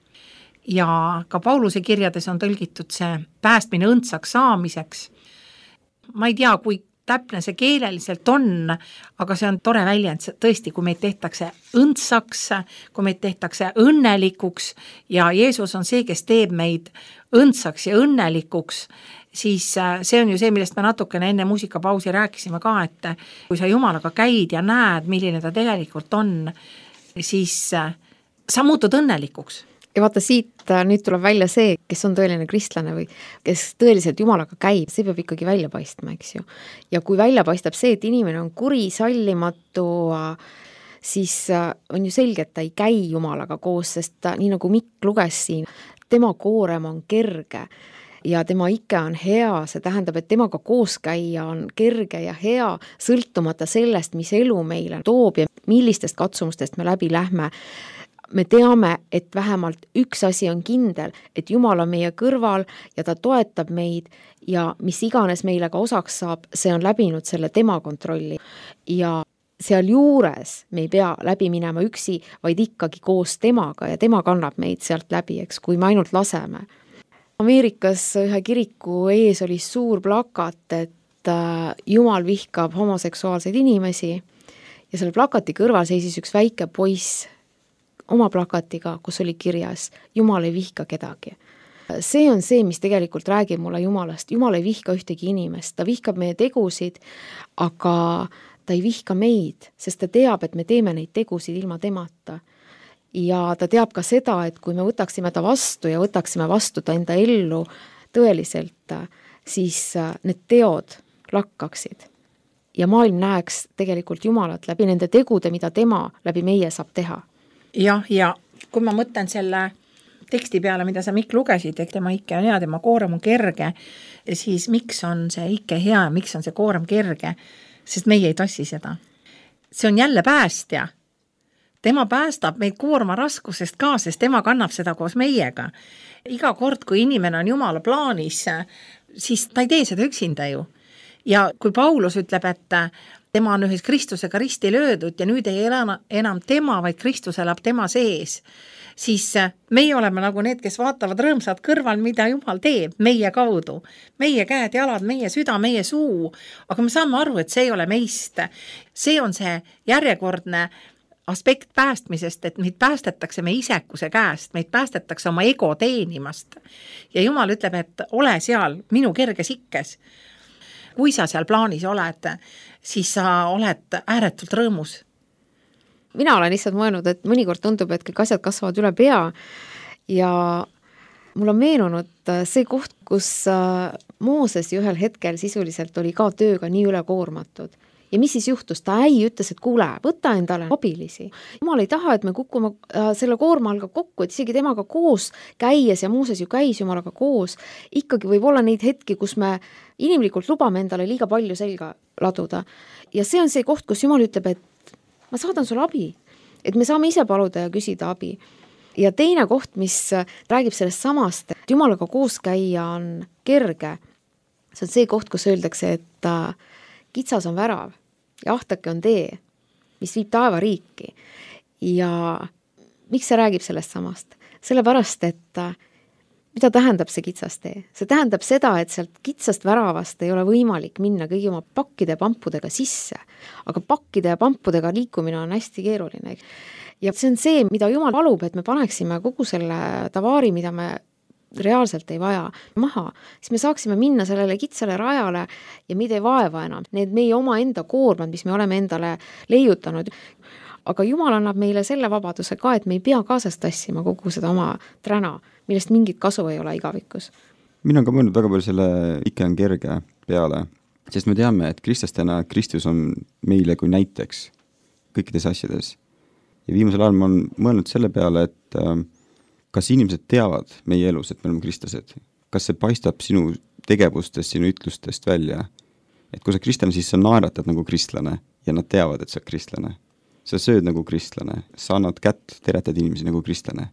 ja ka Pauluse kirjades on tõlgitud see päästmine õndsaks saamiseks. Ma ei tea, kui täpne see keeleliselt on, aga see on tore väljend, tõesti, kui meid tehtakse õndsaks, kui meid tehtakse õnnelikuks ja Jeesus on see, kes teeb meid õndsaks ja õnnelikuks, siis see on ju see, millest me natukene enne muusikapausi rääkisime ka, et kui sa Jumalaga käid ja näed, milline ta tegelikult on, siis sa muutud õnnelikuks. Ja vaata, siit nüüd tuleb välja see, kes on tõeline kristlane või kes tõeliselt Jumalaga käib, see peab ikkagi välja paistma, eks ju. Ja kui välja paistab see, et inimene on kuri, sallimatu, siis on ju selge, et ta ei käi Jumalaga koos, sest ta, nii nagu Mikk luges siin, tema koorem on kerge ja tema ikke on hea, see tähendab, et temaga koos käia on kerge ja hea, sõltumata sellest, mis elu meile toob ja millistest katsumustest me läbi lähme. Me teame, et vähemalt üks asi on kindel, et Jumal on meie kõrval ja ta toetab meid ja mis iganes meile ka osaks saab, see on läbinud selle tema kontrolli. Ja seal juures me ei pea läbi minema üksi, vaid ikkagi koos temaga ja tema kannab meid sealt läbi, eks, kui me ainult laseme. Ameerikas ühe kiriku ees oli suur plakat, et Jumal vihkab homoseksuaalseid inimesi ja selle plakati kõrval seisis üks väike poiss oma plakatiga, kus oli kirjas Jumal ei vihka kedagi. See on see, mis tegelikult räägib mulle Jumalast. Jumal ei vihka ühtegi inimest, ta vihkab meie tegusid, aga ta ei vihka meid, sest ta teab, et me teeme neid tegusid ilma temata. Ja ta teab ka seda, et kui me võtaksime ta vastu ja võtaksime vastu ta enda ellu tõeliselt, siis need teod lakkaksid. ja maailm näeks tegelikult Jumalat läbi nende tegude, mida tema läbi meie saab teha. jah, ja kui ma mõtlen selle teksti peale, mida sa Mikk lugesid, et tema ikke on hea, tema koorem on kerge, siis miks on see ikke hea, miks on see koorem kerge, sest meie ei tassi seda. See on jälle päästja. Tema päästab meid koorma raskusest ka, sest tema kannab seda koos meiega. Iga kord, kui inimene on Jumala plaanis, siis ta ei tee seda üksinda ju. Ja kui Paulus ütleb, et tema on ühes Kristusega risti löödud ja nüüd ei elä enam tema, vaid Kristus elab tema sees, siis meie oleme nagu need, kes vaatavad rõõmsad kõrval, mida Jumal teeb meie kaudu. Meie käed, jalad, meie süda, meie suu. Aga me saame aru, et see ei ole meist. See on see järjekordne aspekt päästmisest, et meid päästetakse meie isekuse käest, meid päästetakse oma ego teenimast. Ja Jumal ütleb, et ole seal minu kerges ikkes. Kui sa seal plaanis oled, siis sa oled ääretult rõõmus. Mina olen lihtsalt mõelnud, et mõnikord tundub, et kõik asjad kasvavad üle pea ja mul on meenunud see koht, kus Mooses ühel hetkel sisuliselt oli ka tööga nii üle koormatud. Ja mis siis juhtus? Ta äi ütles, et kuule, võta endale abilisi. Jumal ei taha, et me kukume selle koorma alga kokku, et isegi temaga koos käies ja Mooses ju käis Jumalaga koos, ikkagi võib olla neid hetki, kus me inimlikult lubame endale liiga palju selga laduda. Ja see on see koht, kus Jumal ütleb, et ma saadan sulle abi, et me saame ise paluda ja küsida abi. Ja teine koht, mis räägib sellest samast, et Jumalaga koos käia on kerge, see on see koht, kus öeldakse, et kitsas on värav ja ahtake on tee, mis viib taeva riiki. Ja miks see räägib sellest samast? Sellepärast, et mida tähendab see kitsas tee? See tähendab seda, et sealt kitsast väravast ei ole võimalik minna kõigi oma pakkide ja pampudega sisse, aga pakkide ja pampudega liikumine on hästi keeruline. Ja see on see, mida Jumal palub, et me paneksime kogu selle tavaari, mida me reaalselt ei vaja maha, siis me saaksime minna sellele kitsale rajale ja meid ei vaeva enam. Need meie oma enda koormad, mis me oleme endale leiutanud. Aga Jumal annab meile selle vabaduse ka, et me ei pea kaasast tassima kogu seda oma träna, millest mingit kasu ei ole igavikus. Mina on ka mõelnud väga palju selle ikke on kerge peale, sest me teame, et kristlastena Kristus on meile kui näiteks kõikides asjades. Ja viimasel ajal ma olen mõelnud selle peale, et kas inimesed teavad meie elus, et me oleme kristlased? Kas see paistab sinu tegevustest, sinu ütlustest välja? Et kui sa kristlane, siis sa naeratad nagu kristlane ja nad teavad, et sa kristlane. Sa sööd nagu kristlane, sa annad kätt, teretad inimesi nagu kristlane.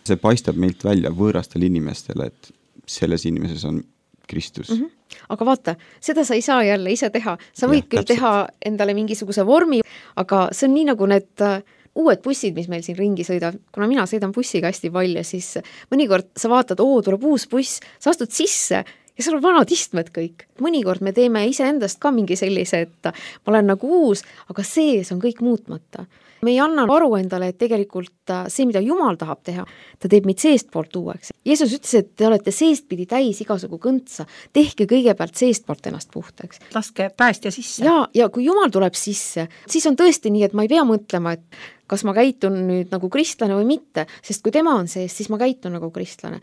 See paistab meilt välja võõrastele inimestele, et selles inimeses on Kristus. Mm-hmm. Aga vaata, seda sa ei saa jälle ise teha. Sa võid ja, küll täpselt. Teha endale mingisuguse vormi, aga see on nii nagu need uued bussid, mis meil siin ringi sõidavad, kuna mina sõidan bussiga hästi palju, siis mõnikord sa vaatad, oo, tuleb uus buss, sa astud sisse ja seal on vanad istmed kõik. Mõnikord me teeme ise endast ka mingi sellise, et ma olen nagu uus, aga sees on kõik muutmata. Me ei anna aru endale, et tegelikult see, mida Jumal tahab teha, ta teeb meid seest poolt uueks. Jeesus ütles, et te olete seestpidi täis igasugu kõntsa, tehke kõigepealt seest poolt ennast puhtaks. Laske päästja sisse. Ja, ja kui Jumal tuleb sisse, siis on tõesti nii, et ma ei pea mõtlema, et kas ma käitun nüüd nagu kristlane või mitte, sest kui tema on sees, siis ma käitun nagu kristlane.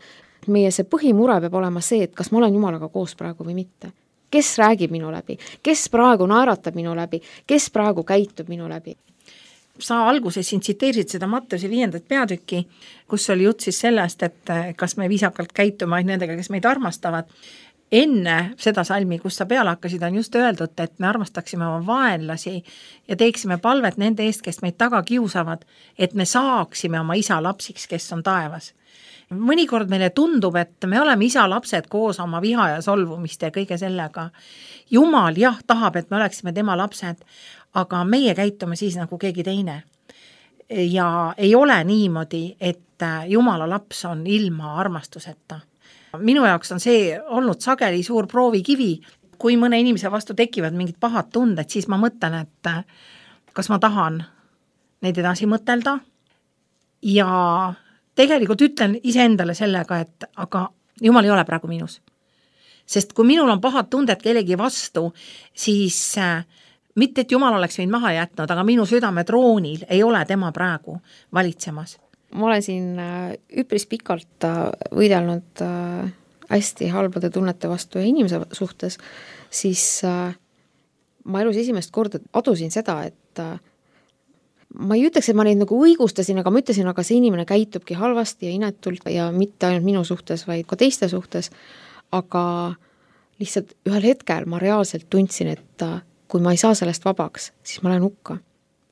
Meie see põhimure peab olema see, et kas ma olen Jumalaga koos praegu või mitte. Kes räägib minu läbi? Kes praegu naeratab minu läbi? Kes praegu käitub minu läbi? Sa alguses siin tsiteerisid seda Matteuse viiendat peatükki, kus oli jutt siis sellest, et kas me viisakalt käitume ainult nendega, kes meid armastavad. Enne seda salmi, kus sa peale hakkasid, on just öeldud, et me armastaksime oma vaenlasi ja teeksime palvet nende eest, kes meid taga kiusavad, et me saaksime oma isa lapsiks, kes on taevas. Mõnikord meile tundub, et me oleme isa lapsed koos oma viha ja solvumiste ja kõige sellega. Jumal jah tahab, et me oleksime tema lapsed, aga meie käitume siis nagu keegi teine. Ja ei ole niimoodi, et Jumala laps on ilma armastuseta. Minu jaoks on see olnud sageli suur proovikivi. Kui mõne inimese vastu tekivad mingid pahad tunded, siis ma mõtlen, et kas ma tahan neid edasi mõtelda. Ja tegelikult ütlen iseendale sellega, et aga Jumal ei ole praegu minus. Sest kui minul on pahad tunded kellegi vastu, siis mitte, et Jumal oleks mind maha jätnud, aga minu südame troonil ei ole tema praegu valitsemas. Ma olen siin üpris pikalt võidelnud hästi halbade tunnete vastu ja inimese suhtes, siis ma elus esimest korda adusin seda, et ma ei ütleks, et ma neid nagu õigustasin, aga ma ütlesin, aga see inimene käitubki halvasti ja inetult ja mitte ainult minu suhtes, vaid ka teiste suhtes, aga lihtsalt ühel hetkel ma reaalselt tundsin, et kui ma ei saa sellest vabaks, siis ma lähen hukka.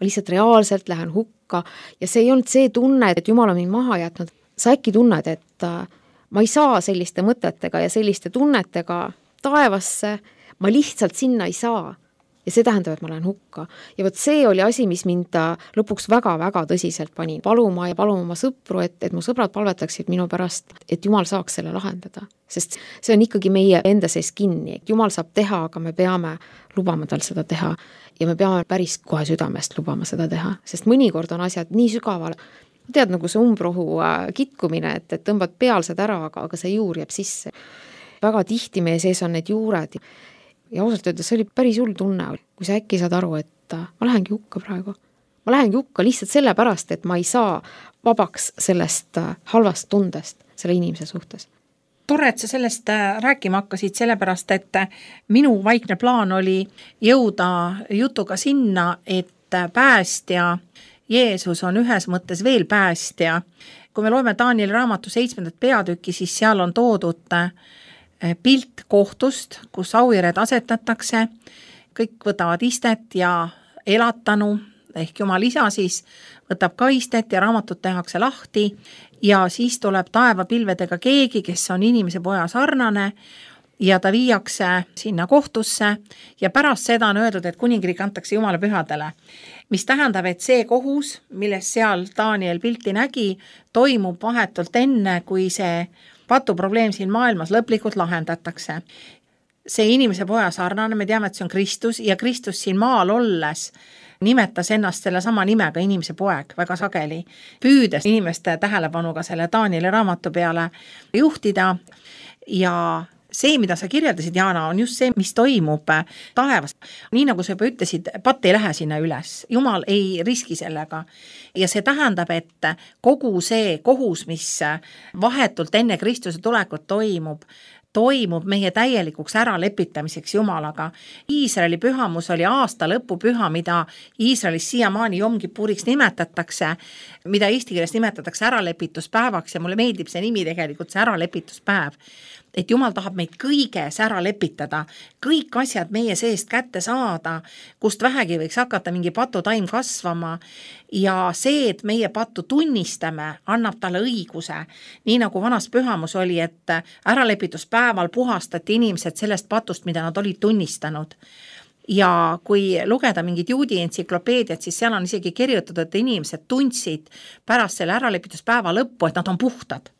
Ma lihtsalt reaalselt lähen hukka ja see ei olnud see tunne, et Jumal on mind maha jätnud. Sa äkki tunned, et ma ei saa selliste mõtetega ja selliste tunnetega taevasse, ma lihtsalt sinna ei saa. Ja see tähendab, et ma lähen hukka. Ja võt see oli asi, mis mind lõpuks väga-väga tõsiselt pani. Paluma ja paluma oma sõpru, et, et mu sõbrad palvetaksid minu pärast, et Jumal saaks selle lahendada. Sest see on ikkagi meie enda sees kinni. Jumal saab teha, aga me peame lubama tal seda teha. Ja me peame päris kohe südamest lubama seda teha. Sest mõnikord on asjad nii sügaval. Tead, nagu see umbrohu kitkumine, et, et tõmbad pealsed ära, aga, aga see juur jääb sisse. Väga tihti meie sees on need juured. Ja ausalt öeldes see oli päris hull tunne, kui sa äkki saad aru, et ma lähengi hukka praegu. Ma lähengi hukka lihtsalt sellepärast, et ma ei saa vabaks sellest halvast tundest selle inimese suhtes. Tore, et sa sellest rääkima hakkasid, sellepärast, et minu vaikne plaan oli jõuda jutuga sinna, et päästja Jeesus on ühes mõttes veel päästja. Kui me loeme Danieli raamatu seitsmendat peatükki, siis seal on toodud pilt kohtust, kus auhired asetatakse, kõik võtavad istet ja elatanu, ehk Jumal isa siis võtab ka istet ja raamatut tehakse lahti ja siis tuleb taevapilvedega keegi, kes on inimese poja sarnane ja ta viiakse sinna kohtusse ja pärast seda on öeldud, et kuningriik antakse Jumala pühadele, mis tähendab, et see kohus, milles seal Daniel pilti nägi, toimub vahetult enne, kui see patuprobleem siin maailmas lõplikult lahendatakse. See inimese poja sarnane, me teame, et see on Kristus ja Kristus siin maal olles nimetas ennast selle sama nimega inimese poeg väga sageli, püüdes inimeste tähelepanuga selle Danieli raamatu peale juhtida ja see, mida sa kirjeldasid, Jaana, on just see, mis toimub taevas. Nii nagu sa juba ütlesid, patt ei lähe sinna üles. Jumal ei riski sellega. Ja see tähendab, et kogu see kohus, mis vahetult enne Kristuse tulekut toimub, toimub meie täielikuks äralepitamiseks Jumalaga. Iisraeli pühamus oli aasta lõpu püha, mida Iisraelis siiamaani Jom Kipuriks nimetatakse, mida eesti keeles nimetatakse äralepituspäevaks ja mulle meeldib see nimi tegelikult, see äralepituspäev. Et Jumal tahab meid kõiges ära lepitada, kõik asjad meie seest kätte saada, kust vähegi võiks hakata mingi patutaim kasvama ja see, et meie pattu tunnistame, annab talle õiguse. Nii nagu vanas pühamus oli, et äralepituspäeval puhastati inimesed sellest patust, mida nad olid tunnistanud. Ja kui lugeda mingid juudi entsüklopeediat, siis seal on isegi kirjutatud, et inimesed tundsid pärast selle äralepituspäeva lõppu, et nad on puhtad.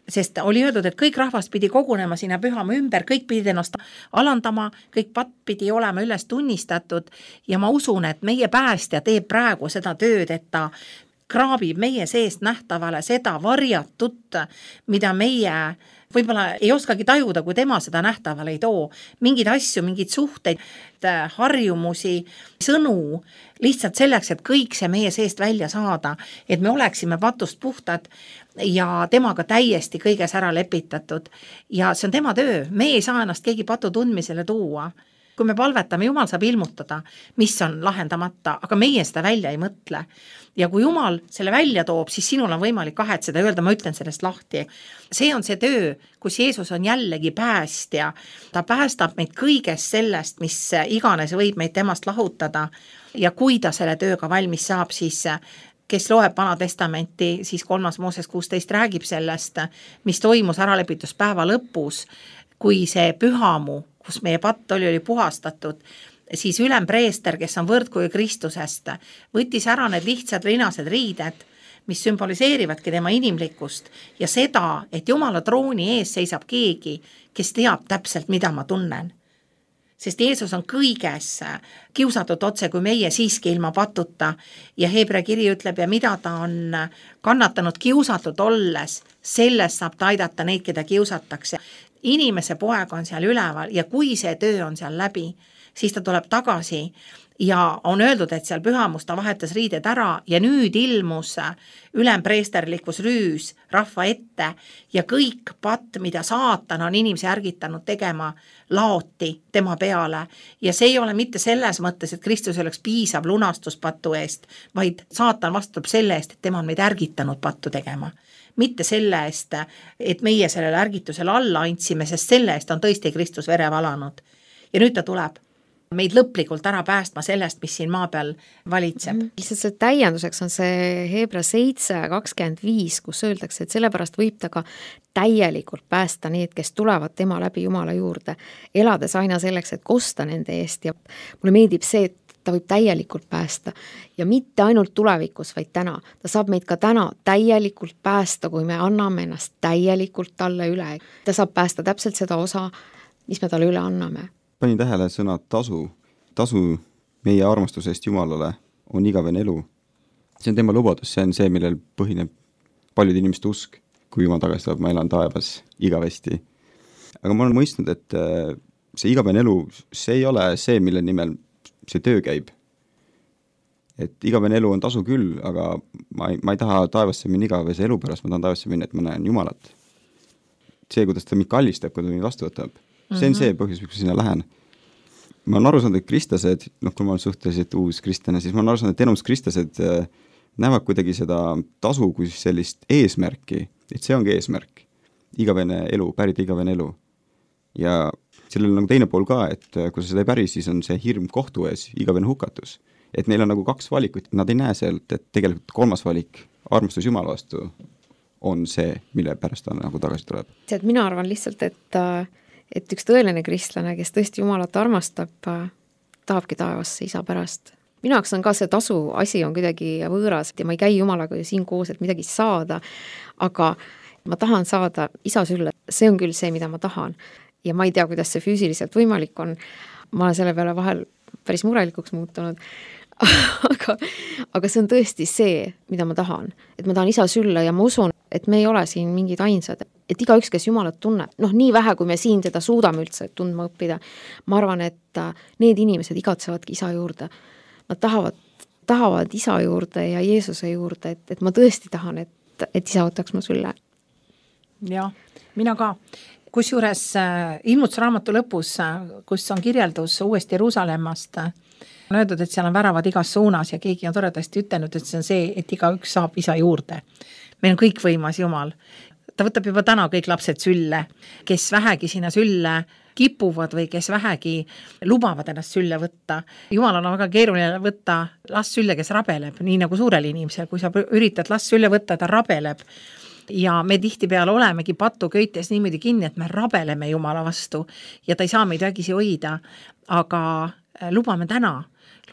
Sest oli öeldud, et kõik rahvast pidi kogunema sinna pühama ümber, kõik pidi ennast alandama, kõik patt pidi olema üles tunnistatud ja ma usun, et meie päästja teeb praegu seda tööd, et ta kraabib meie seest nähtavale seda varjatut, mida meie võib-olla ei oskagi tajuda, kui tema seda nähtavale ei too. Mingid asju, mingid suhteid, harjumusi, sõnu, lihtsalt selleks, et kõik see meie seest välja saada, et me oleksime patust puhtad ja temaga täiesti kõiges ära lepitatud. Ja see on tema töö, me ei saa ennast keegi patu tundmisele tuua. Kui me palvetame, Jumal saab ilmutada, mis on lahendamata, aga meie seda välja ei mõtle. Ja kui Jumal selle välja toob, siis sinul on võimalik kahetseda, öelda, ma ütlen sellest lahti. See on see töö, kus Jeesus on jällegi päästja. Ta päästab meid kõigest sellest, mis iganes võib meid temast lahutada. Ja kui ta selle tööga valmis saab, siis kes loeb Vana Testamenti, siis kolmas Mooses kuusteist räägib sellest, mis toimus äralepituspäeva lõpus, kui see pühamu, kus meie patt oli, oli puhastatud, siis ülempreester, kes on võrdkuju Kristusest, võttis ära need lihtsad linased riided, mis sümboliseerivadki tema inimlikkust ja seda, et Jumala trooni ees seisab keegi, kes teab täpselt, mida ma tunnen. Sest Jeesus on kõiges kiusatud otse, kui meie siiski ilma patuta ja Hebra kiri ütleb, ja mida ta on kannatanud kiusatud olles, selles saab ta aidata neid, keda kiusatakse. Inimese poeg on seal üleval ja kui see töö on seal läbi, siis ta tuleb tagasi ja on öeldud, et seal pühamus ta vahetas riided ära ja nüüd ilmus ülempreesterlikus rüüs rahva ette ja kõik patt, mida saatan on inimese ärgitanud tegema, laoti tema peale. Ja see ei ole mitte selles mõttes, et Kristus oleks piisav lunastus pattu eest, vaid saatan vastutab selle eest, et tema on meid ärgitanud pattu tegema. Mitte selle eest, et meie sellele ärgitusele alla andsime, sest selle eest on tõesti Kristus vere valanud. Ja nüüd ta tuleb meid lõplikult ära päästma sellest, mis siin maa peal valitseb. Mm. Lihtsalt see täienduseks on see Hebra seitse kakskümmend viis, kus öeldakse, et sellepärast võib ta ka täielikult päästa need, kes tulevad tema läbi Jumala juurde, elades aina selleks, et kosta nende eest ja mulle meeldib see, et ta võib täielikult päästa ja mitte ainult tulevikus, vaid täna. Ta saab meid ka täna täielikult päästa, kui me anname ennast täielikult talle üle. Ta saab päästa täpselt seda osa, mis me talle üle anname. Panin tähele sõna tasu. Tasu meie armastusest Jumalale on igavene elu. See on tema lubadus, see on see, millel põhineb paljud inimeste usk. Kui Jumal tagasi tuleb, ma elan taevas igavesti. Aga ma olen mõistnud, et see igavene elu, see ei ole see, mille nimel see töö käib. Et igavene elu on tasu küll, aga ma ei, ma ei taha taevasse minna igavese elu pärast, ma tahan taevasse minna, et ma näen Jumalat. See, kuidas ta mind kallistab, kui ta mind vastu võtab. See on see põhjus, miks ma sinna lähen. Ma olen aru saanud, et kristlased, noh, kui ma olen suhteliselt uus kristlane, siis ma olen aru saanud, et enamus kristlased näevad kuidagi seda tasu kui sellist eesmärki, et see ongi eesmärk. Igavene elu, pärida igavene elu. Ja sellel on nagu teine pool ka, et kui sa seda ei päri, siis on see hirm kohtu ees, igavene hukatus. Et neil on nagu kaks valikut, nad ei näe sealt, et tegelikult kolmas valik, armastus Jumala vastu, on see, mille pärast ta nagu tagasi tuleb. See, et mina arvan lihtsalt, et et üks tõeline kristlane, kes tõesti Jumalat armastab, tahabki taevasse isa pärast. Minu jaoks on ka see tasu asi on kuidagi võõras ja ma ei käi Jumalaga ju siin koos, et midagi saada, aga ma tahan saada isa sülle. See on küll see, mida ma tahan. Ja ma ei tea, kuidas see füüsiliselt võimalik on. Ma olen selle peale vahel päris murelikuks muutunud. aga, aga see on tõesti see, mida ma tahan. Et ma tahan isa sülle ja ma usun, et me ei ole siin mingid ainsad. Et iga üks, kes Jumalat tunneb, noh nii vähe, kui me siin teda suudame üldse tundma õppida, ma arvan, et need inimesed igatsevadki isa juurde. Nad tahavad, tahavad isa juurde ja Jeesuse juurde, et, et ma tõesti tahan, et, et isa võtaks mu sülle. Jah, mina ka. Kusjuures ilmutusraamatu lõpus, kus on kirjeldus uuesti Jeruusalemmast, on öeldud, et seal on väravad igas suunas ja keegi on toredasti ütelnud, et see on see, et iga üks saab isa juurde. Meil on kõik võimas Jumal. Ta võtab juba täna kõik lapsed sülle, kes vähegi sinna sülle kipuvad või kes vähegi lubavad ennast sülle võtta. Jumal on väga keeruline võtta last sülle, kes rabeleb, nii nagu suurel inimesel. Kui sa üritad last sülle võtta, ta rabeleb. Ja me tihtipeale olemegi patu köites niimoodi kinni, et me rabeleme Jumala vastu ja ta ei saa meid vägisi hoida. Aga lubame täna,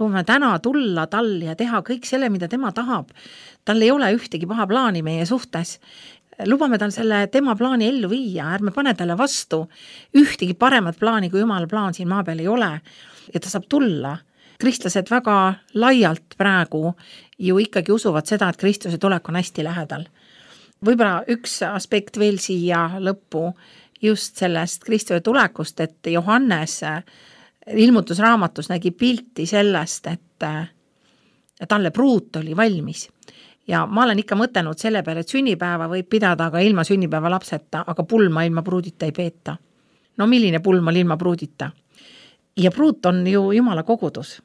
lubame täna tulla tal ja teha kõik selle, mida tema tahab. Tal ei ole ühtegi paha plaani meie suhtes. Lubame tal selle tema plaani ellu viia, ärme pane talle vastu. Ühtegi paremat plaani kui Jumala plaan siin maa peal ei ole ja ta saab tulla. Kristlased väga laialt praegu ju ikkagi usuvad seda, et Kristuse tulek on hästi lähedal. Võib-olla üks aspekt veel siia lõppu just sellest Kristuse tulekust, et Johannes ilmutusraamatus nägi pilti sellest, et talle pruut oli valmis. Ja ma olen ikka mõtelnud selle peale, et sünnipäeva võib pidada aga ilma sünnipäeva lapseta, aga pulma ilma pruudita ei peeta. No milline pulm on ilma pruudita? Ja pruut on ju Jumala kogudus.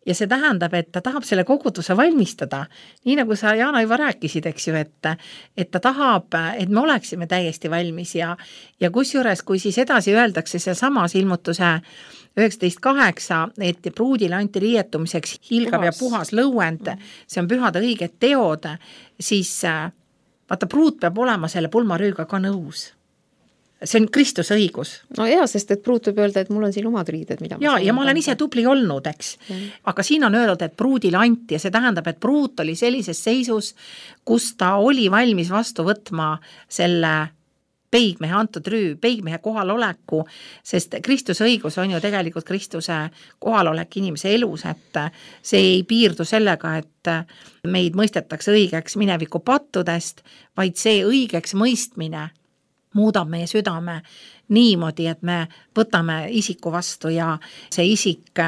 Ja see tähendab, et ta tahab selle koguduse valmistada. Nii nagu sa, Jaana, juba rääkisid, eks ju, et, et ta tahab, et me oleksime täiesti valmis. Ja, ja kusjuures, kui siis edasi öeldakse seal samas ilmutuse üheksateist kaheksa, et pruudile anti riietumiseks hilgav puhas. Ja puhas lõuend, see on pühade õiged teod, siis vaata, pruut peab olema selle pulmarüüga ka nõus. See on Kristuse õigus. No jaa, sest et pruut võib öelda, et mul on siin omad riided, mida ma ja, ja ma olen ise tubli olnud, eks. Ja. Aga siin on öeldud, et pruudile anti ja see tähendab, et pruut oli sellises seisus, kus ta oli valmis vastu võtma selle peigmehe antud rüü, peigmehe kohaloleku, sest Kristuse õigus on ju tegelikult Kristuse kohalolek inimese elus, et see ei piirdu sellega, et meid mõistetakse õigeks mineviku pattudest, vaid see õigeks mõistmine muudab meie südame niimoodi, et me võtame isiku vastu ja see isik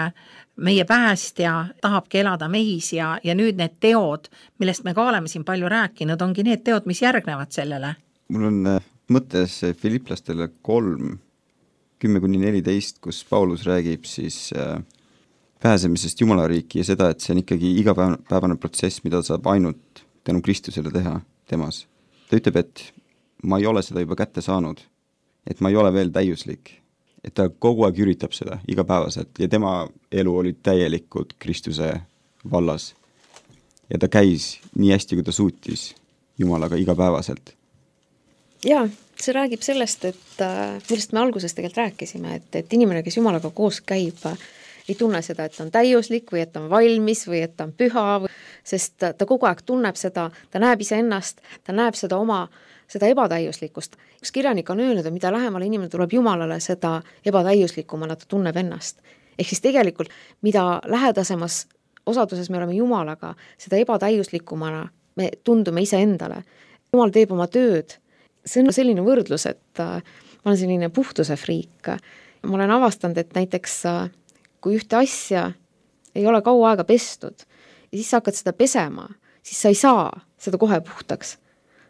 meie päästja tahabki elada meis ja, ja nüüd need teod, millest me ka oleme siin palju rääkinud, ongi need teod, mis järgnevad sellele. Mul on mõttes Filiplastele kolm, kümme kuni neliteist, kus Paulus räägib siis pääsemisest Jumala riiki ja seda, et see on ikkagi igapäevane protsess, mida saab ainult tänu Kristusele teha temas. Ta ütleb, et ma ei ole seda juba kätte saanud, et ma ei ole veel täiuslik, et ta kogu aeg üritab seda igapäevaselt ja tema elu oli täielikult Kristuse vallas. Ja ta käis nii hästi, kui ta suutis Jumalaga igapäevaselt. Jaa, see räägib sellest, et millest me alguses tegelikult rääkisime, et, et inimene, kes Jumalaga koos käib, ei tunne seda, et ta on täiuslik või et ta on valmis või et ta on püha, sest ta, ta kogu aeg tunneb seda, ta näeb ise ennast, ta näeb seda oma seda ebatäiuslikkust. Üks kirjanik on öelnud, et mida lähemale inimene tuleb Jumalale, seda ebatäiuslikumana ta tunneb ennast. Ehk siis tegelikult, mida lähedasemas osaduses me oleme Jumalaga, seda ebatäiuslikumana me tundume ise endale. Jumal teeb oma tööd. See on selline võrdlus, et ma olen selline puhtuse friik. Ma olen avastanud, et näiteks kui ühte asja ei ole kaua aega pestud ja siis sa hakkad seda pesema, siis sa ei saa seda kohe puhtaks.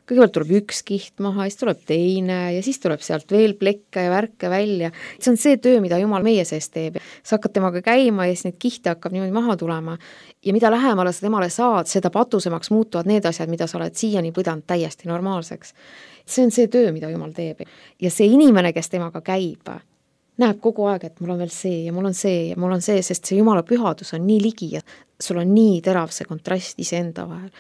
Kõigepealt tuleb üks kiht maha, siis tuleb teine ja siis tuleb sealt veel plekke ja värke välja. See on see töö, mida Jumal meie sees teeb. Sa hakkad temaga käima ja siis need kihte hakkab niimoodi maha tulema. Ja mida lähemale sa temale saad, seda patusemaks muutuvad need asjad, mida sa oled siiani pidanud täiesti normaalseks. See on see töö, mida Jumal teeb. Ja see inimene, kes temaga käib, näeb kogu aeg, et mul on veel see ja mul on see ja mul on see, sest see Jumala pühadus on nii ligi ja sul on nii terav see kontrast iseenda vahel.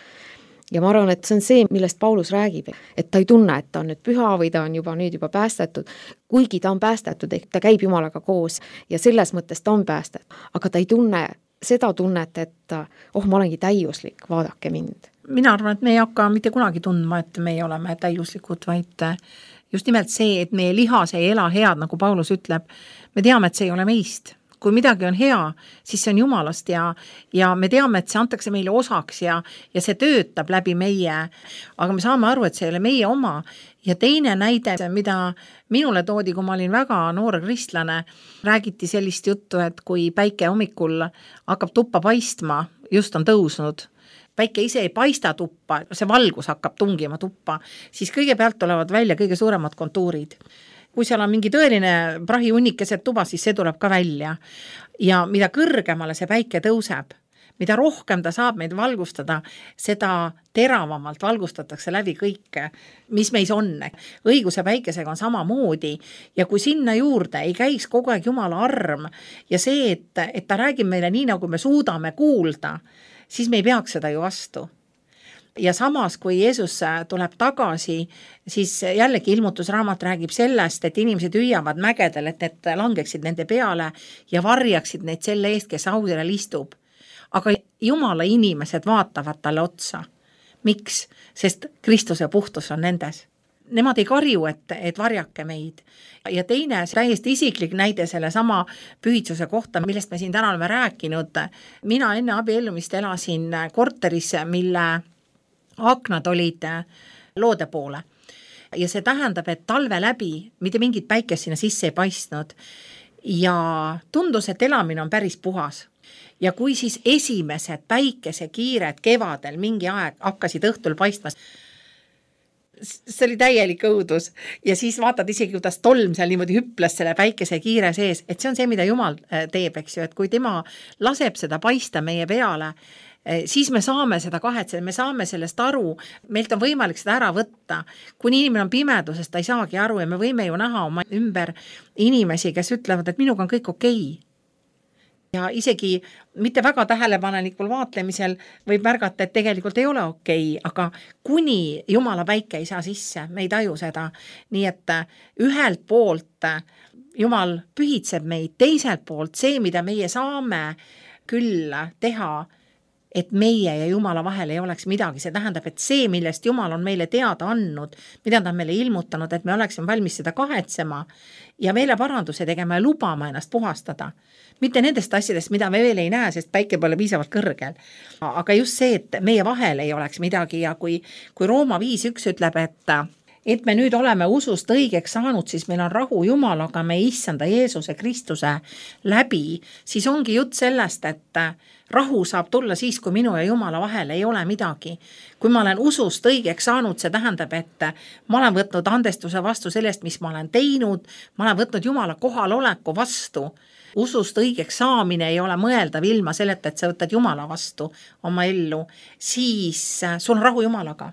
Ja ma arvan, et see on see, millest Paulus räägib, et ta ei tunne, et ta on nüüd püha või ta on juba nüüd juba päästetud, kuigi ta on päästetud, ehk ta käib Jumalaga koos ja selles mõttes ta on päästetud, aga ta ei tunne seda tunnet, et oh, ma olengi täiuslik, vaadake mind. Mina arvan, et me ei hakka mitte kunagi tundma, et me oleme täiuslikud, vaid just nimelt see, et meie lihas ei ela head, nagu Paulus ütleb, me teame, et see ei ole meist. Kui midagi on hea, siis see on Jumalast ja, ja me teame, et see antakse meile osaks ja, ja see töötab läbi meie, aga me saame aru, et see ei ole meie oma. Ja teine näide, mida minule toodi, kui ma olin väga noor kristlane, räägiti sellist juttu, et kui päike hommikul hakkab tuppa paistma, just on tõusnud, päike ise ei paista tuppa, see valgus hakkab tungima tuppa, siis kõigepealt tulevad välja kõige suuremad kontuurid. Kui seal on mingi tõeline prahihunnik keset tuba, siis see tuleb ka välja. Ja mida kõrgemale see päike tõuseb, mida rohkem ta saab meid valgustada, seda teravamalt valgustatakse läbi kõike, mis meis on. Õiguse päikesega on sama moodi ja kui sinna juurde ei käiks kogu aeg Jumala arm ja see, et, et ta räägib meile nii, nagu me suudame kuulda, siis me ei peaks seda ju vastu. Ja samas, kui Jeesus tuleb tagasi, siis jällegi ilmutusraamat räägib sellest, et inimesed hüüavad mägedel, et need langeksid nende peale ja varjaksid neid selle eest, kes audele istub. Aga Jumala inimesed vaatavad talle otsa. Miks? Sest Kristuse puhtus on nendes. Nemad ei karju, et, et varjake meid. Ja teine, täiesti isiklik näide selle sama pühitsuse kohta, millest me siin täna oleme rääkinud. Mina enne abiellumist elasin korteris, mille aknad olid loode poole. Ja see tähendab, et talve läbi mitte mingit päikest sinna sisse ei paistnud. Ja tundus, et elamine on päris puhas. Ja kui siis esimesed päikesekiired kevadel mingi aeg hakkasid õhtul paistma, see oli täielik õudus. Ja siis vaatad isegi, kuidas tolm seal niimoodi hüples selle päikesekiire sees, et see on see, mida Jumal teeb, eks ju, et kui tema laseb seda paista meie peale, siis me saame seda kahetseda, me saame sellest aru, meilt on võimalik seda ära võtta. Kuni inimene on pimedusest, ta ei saagi aru ja me võime ju näha oma ümber inimesi, kes ütlevad, et minuga on kõik okei. Ja isegi mitte väga tähelepanelikul vaatlemisel võib märgata, et tegelikult ei ole okei, aga kuni Jumala päike ei saa sisse, me ei taju seda. Nii et ühelt poolt Jumal pühitseb meid, teiselt poolt see, mida meie saame küll teha, et meie ja Jumala vahel ei oleks midagi. See tähendab, et see, millest Jumal on meile teada andnud, mida ta on meile ilmutanud, et me oleksime valmis seda kahetsema ja meile paranduse tegema ja lubama ennast puhastada. Mitte nendest asjadest, mida me veel ei näe, sest päike pole piisavalt kõrgel. Aga just see, et meie vahel ei oleks midagi ja kui, kui Rooma viis üks ütleb, et et me nüüd oleme usust õigeks saanud, siis meil on rahu Jumalaga, me issanda Jeesuse Kristuse läbi, siis ongi jutt sellest, et rahu saab tulla siis, kui minu ja Jumala vahel ei ole midagi. Kui ma olen usust õigeks saanud, see tähendab, et ma olen võtnud andestuse vastu sellest, mis ma olen teinud, ma olen võtnud Jumala kohaloleku vastu. Usust õigeks saamine ei ole mõeldav ilma selleta, et sa võtad Jumala vastu oma ellu, siis sul on rahu Jumalaga.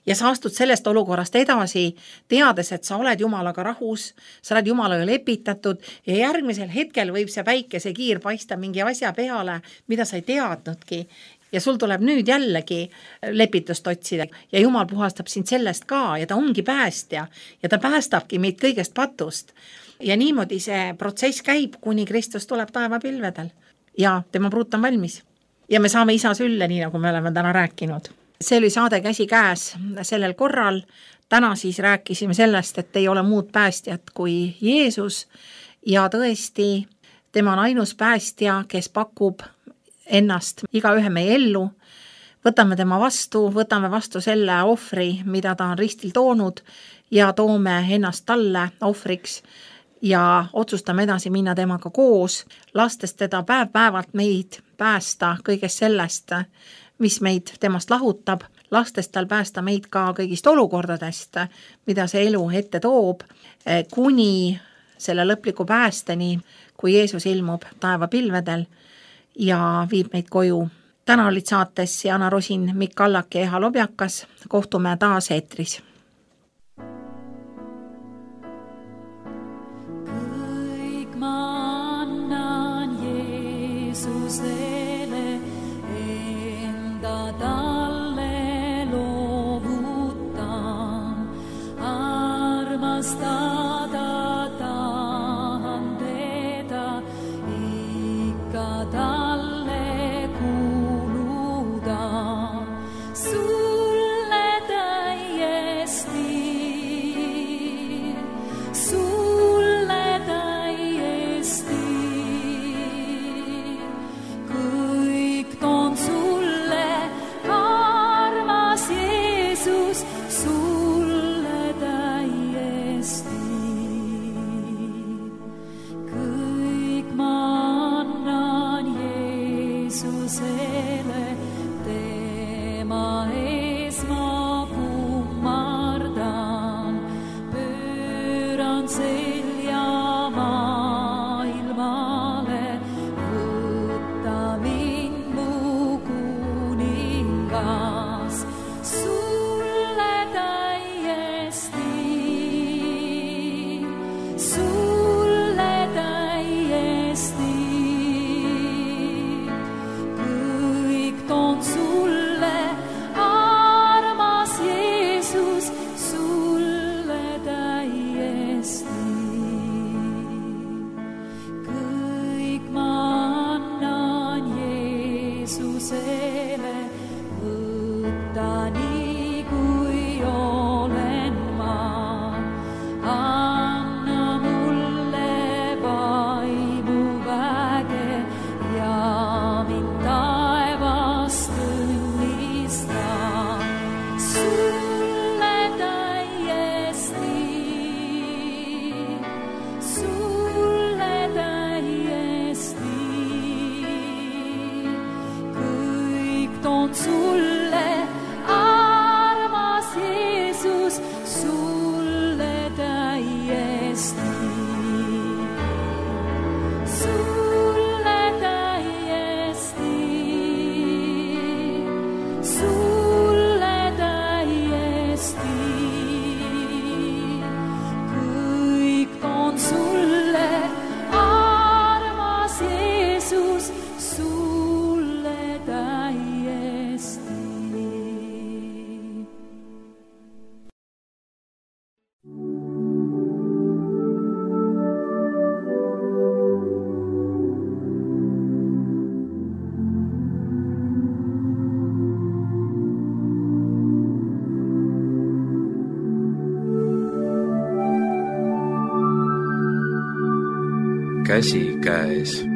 Ja sa astud sellest olukorrast edasi, teades, et sa oled Jumalaga rahus, sa oled Jumalaga lepitatud ja järgmisel hetkel võib see päikese kiir paista mingi asja peale, mida sa ei teadnudki. Ja sul tuleb nüüd jällegi lepitust otsida ja Jumal puhastab sind sellest ka ja ta ongi päästja ja ta päästabki meid kõigest patust. Ja niimoodi see protsess käib, kuni Kristus tuleb taevapilvedel ja tema pruut on valmis. Ja me saame isa sülle, nii nagu me oleme täna rääkinud. See oli saade Käsi käes sellel korral. Täna siis rääkisime sellest, et ei ole muud päästjat kui Jeesus ja tõesti tema on ainus päästja, kes pakub ennast igaühe meie ellu. Võtame tema vastu, võtame vastu selle ohvri, mida ta on ristil toonud ja toome ennast talle ohvriks ja otsustame edasi minna temaga koos, lastes teda päev-päevalt meid päästa kõigest sellest, mis meid temast lahutab, lastes tal päästa meid ka kõigist olukordadest, mida see elu ette toob, kuni selle lõpliku päästeni, kui Jeesus ilmub taevapilvedel ja viib meid koju. Täna olid saates Jana Rosin, Mikk Allak ja Eha Lobjakas. Kohtume taas eetris. Kõik ma annan Jeesusele, enda talle loovutan, armastada tahan teda, ikka talle kuuluda. Sulle täiesti, sulle täiesti, kõik toon sulle, armas Jeesus, sulle täiesti. Kõik ma annan Jeesusele, tema ees ma kummardan, pööran selja maailmale, võta mind mu kuningas, sulle täiesti, sulle täiesti, kõik toon sulle, armas Jeesus, sulle täiesti. Kõik ma annan Jeesusele, võta nii kui olen ma, anna mulle vaimu väge ja mind taevast õnnista. Sulle täiesti, sulle täiesti, kõik toon sulle, armas Jeesus, sulle täiesti. Sulle täiesti, sulle täiesti, kõik toon sulle, armas Jeesus, sulle täiesti. Käsi käes.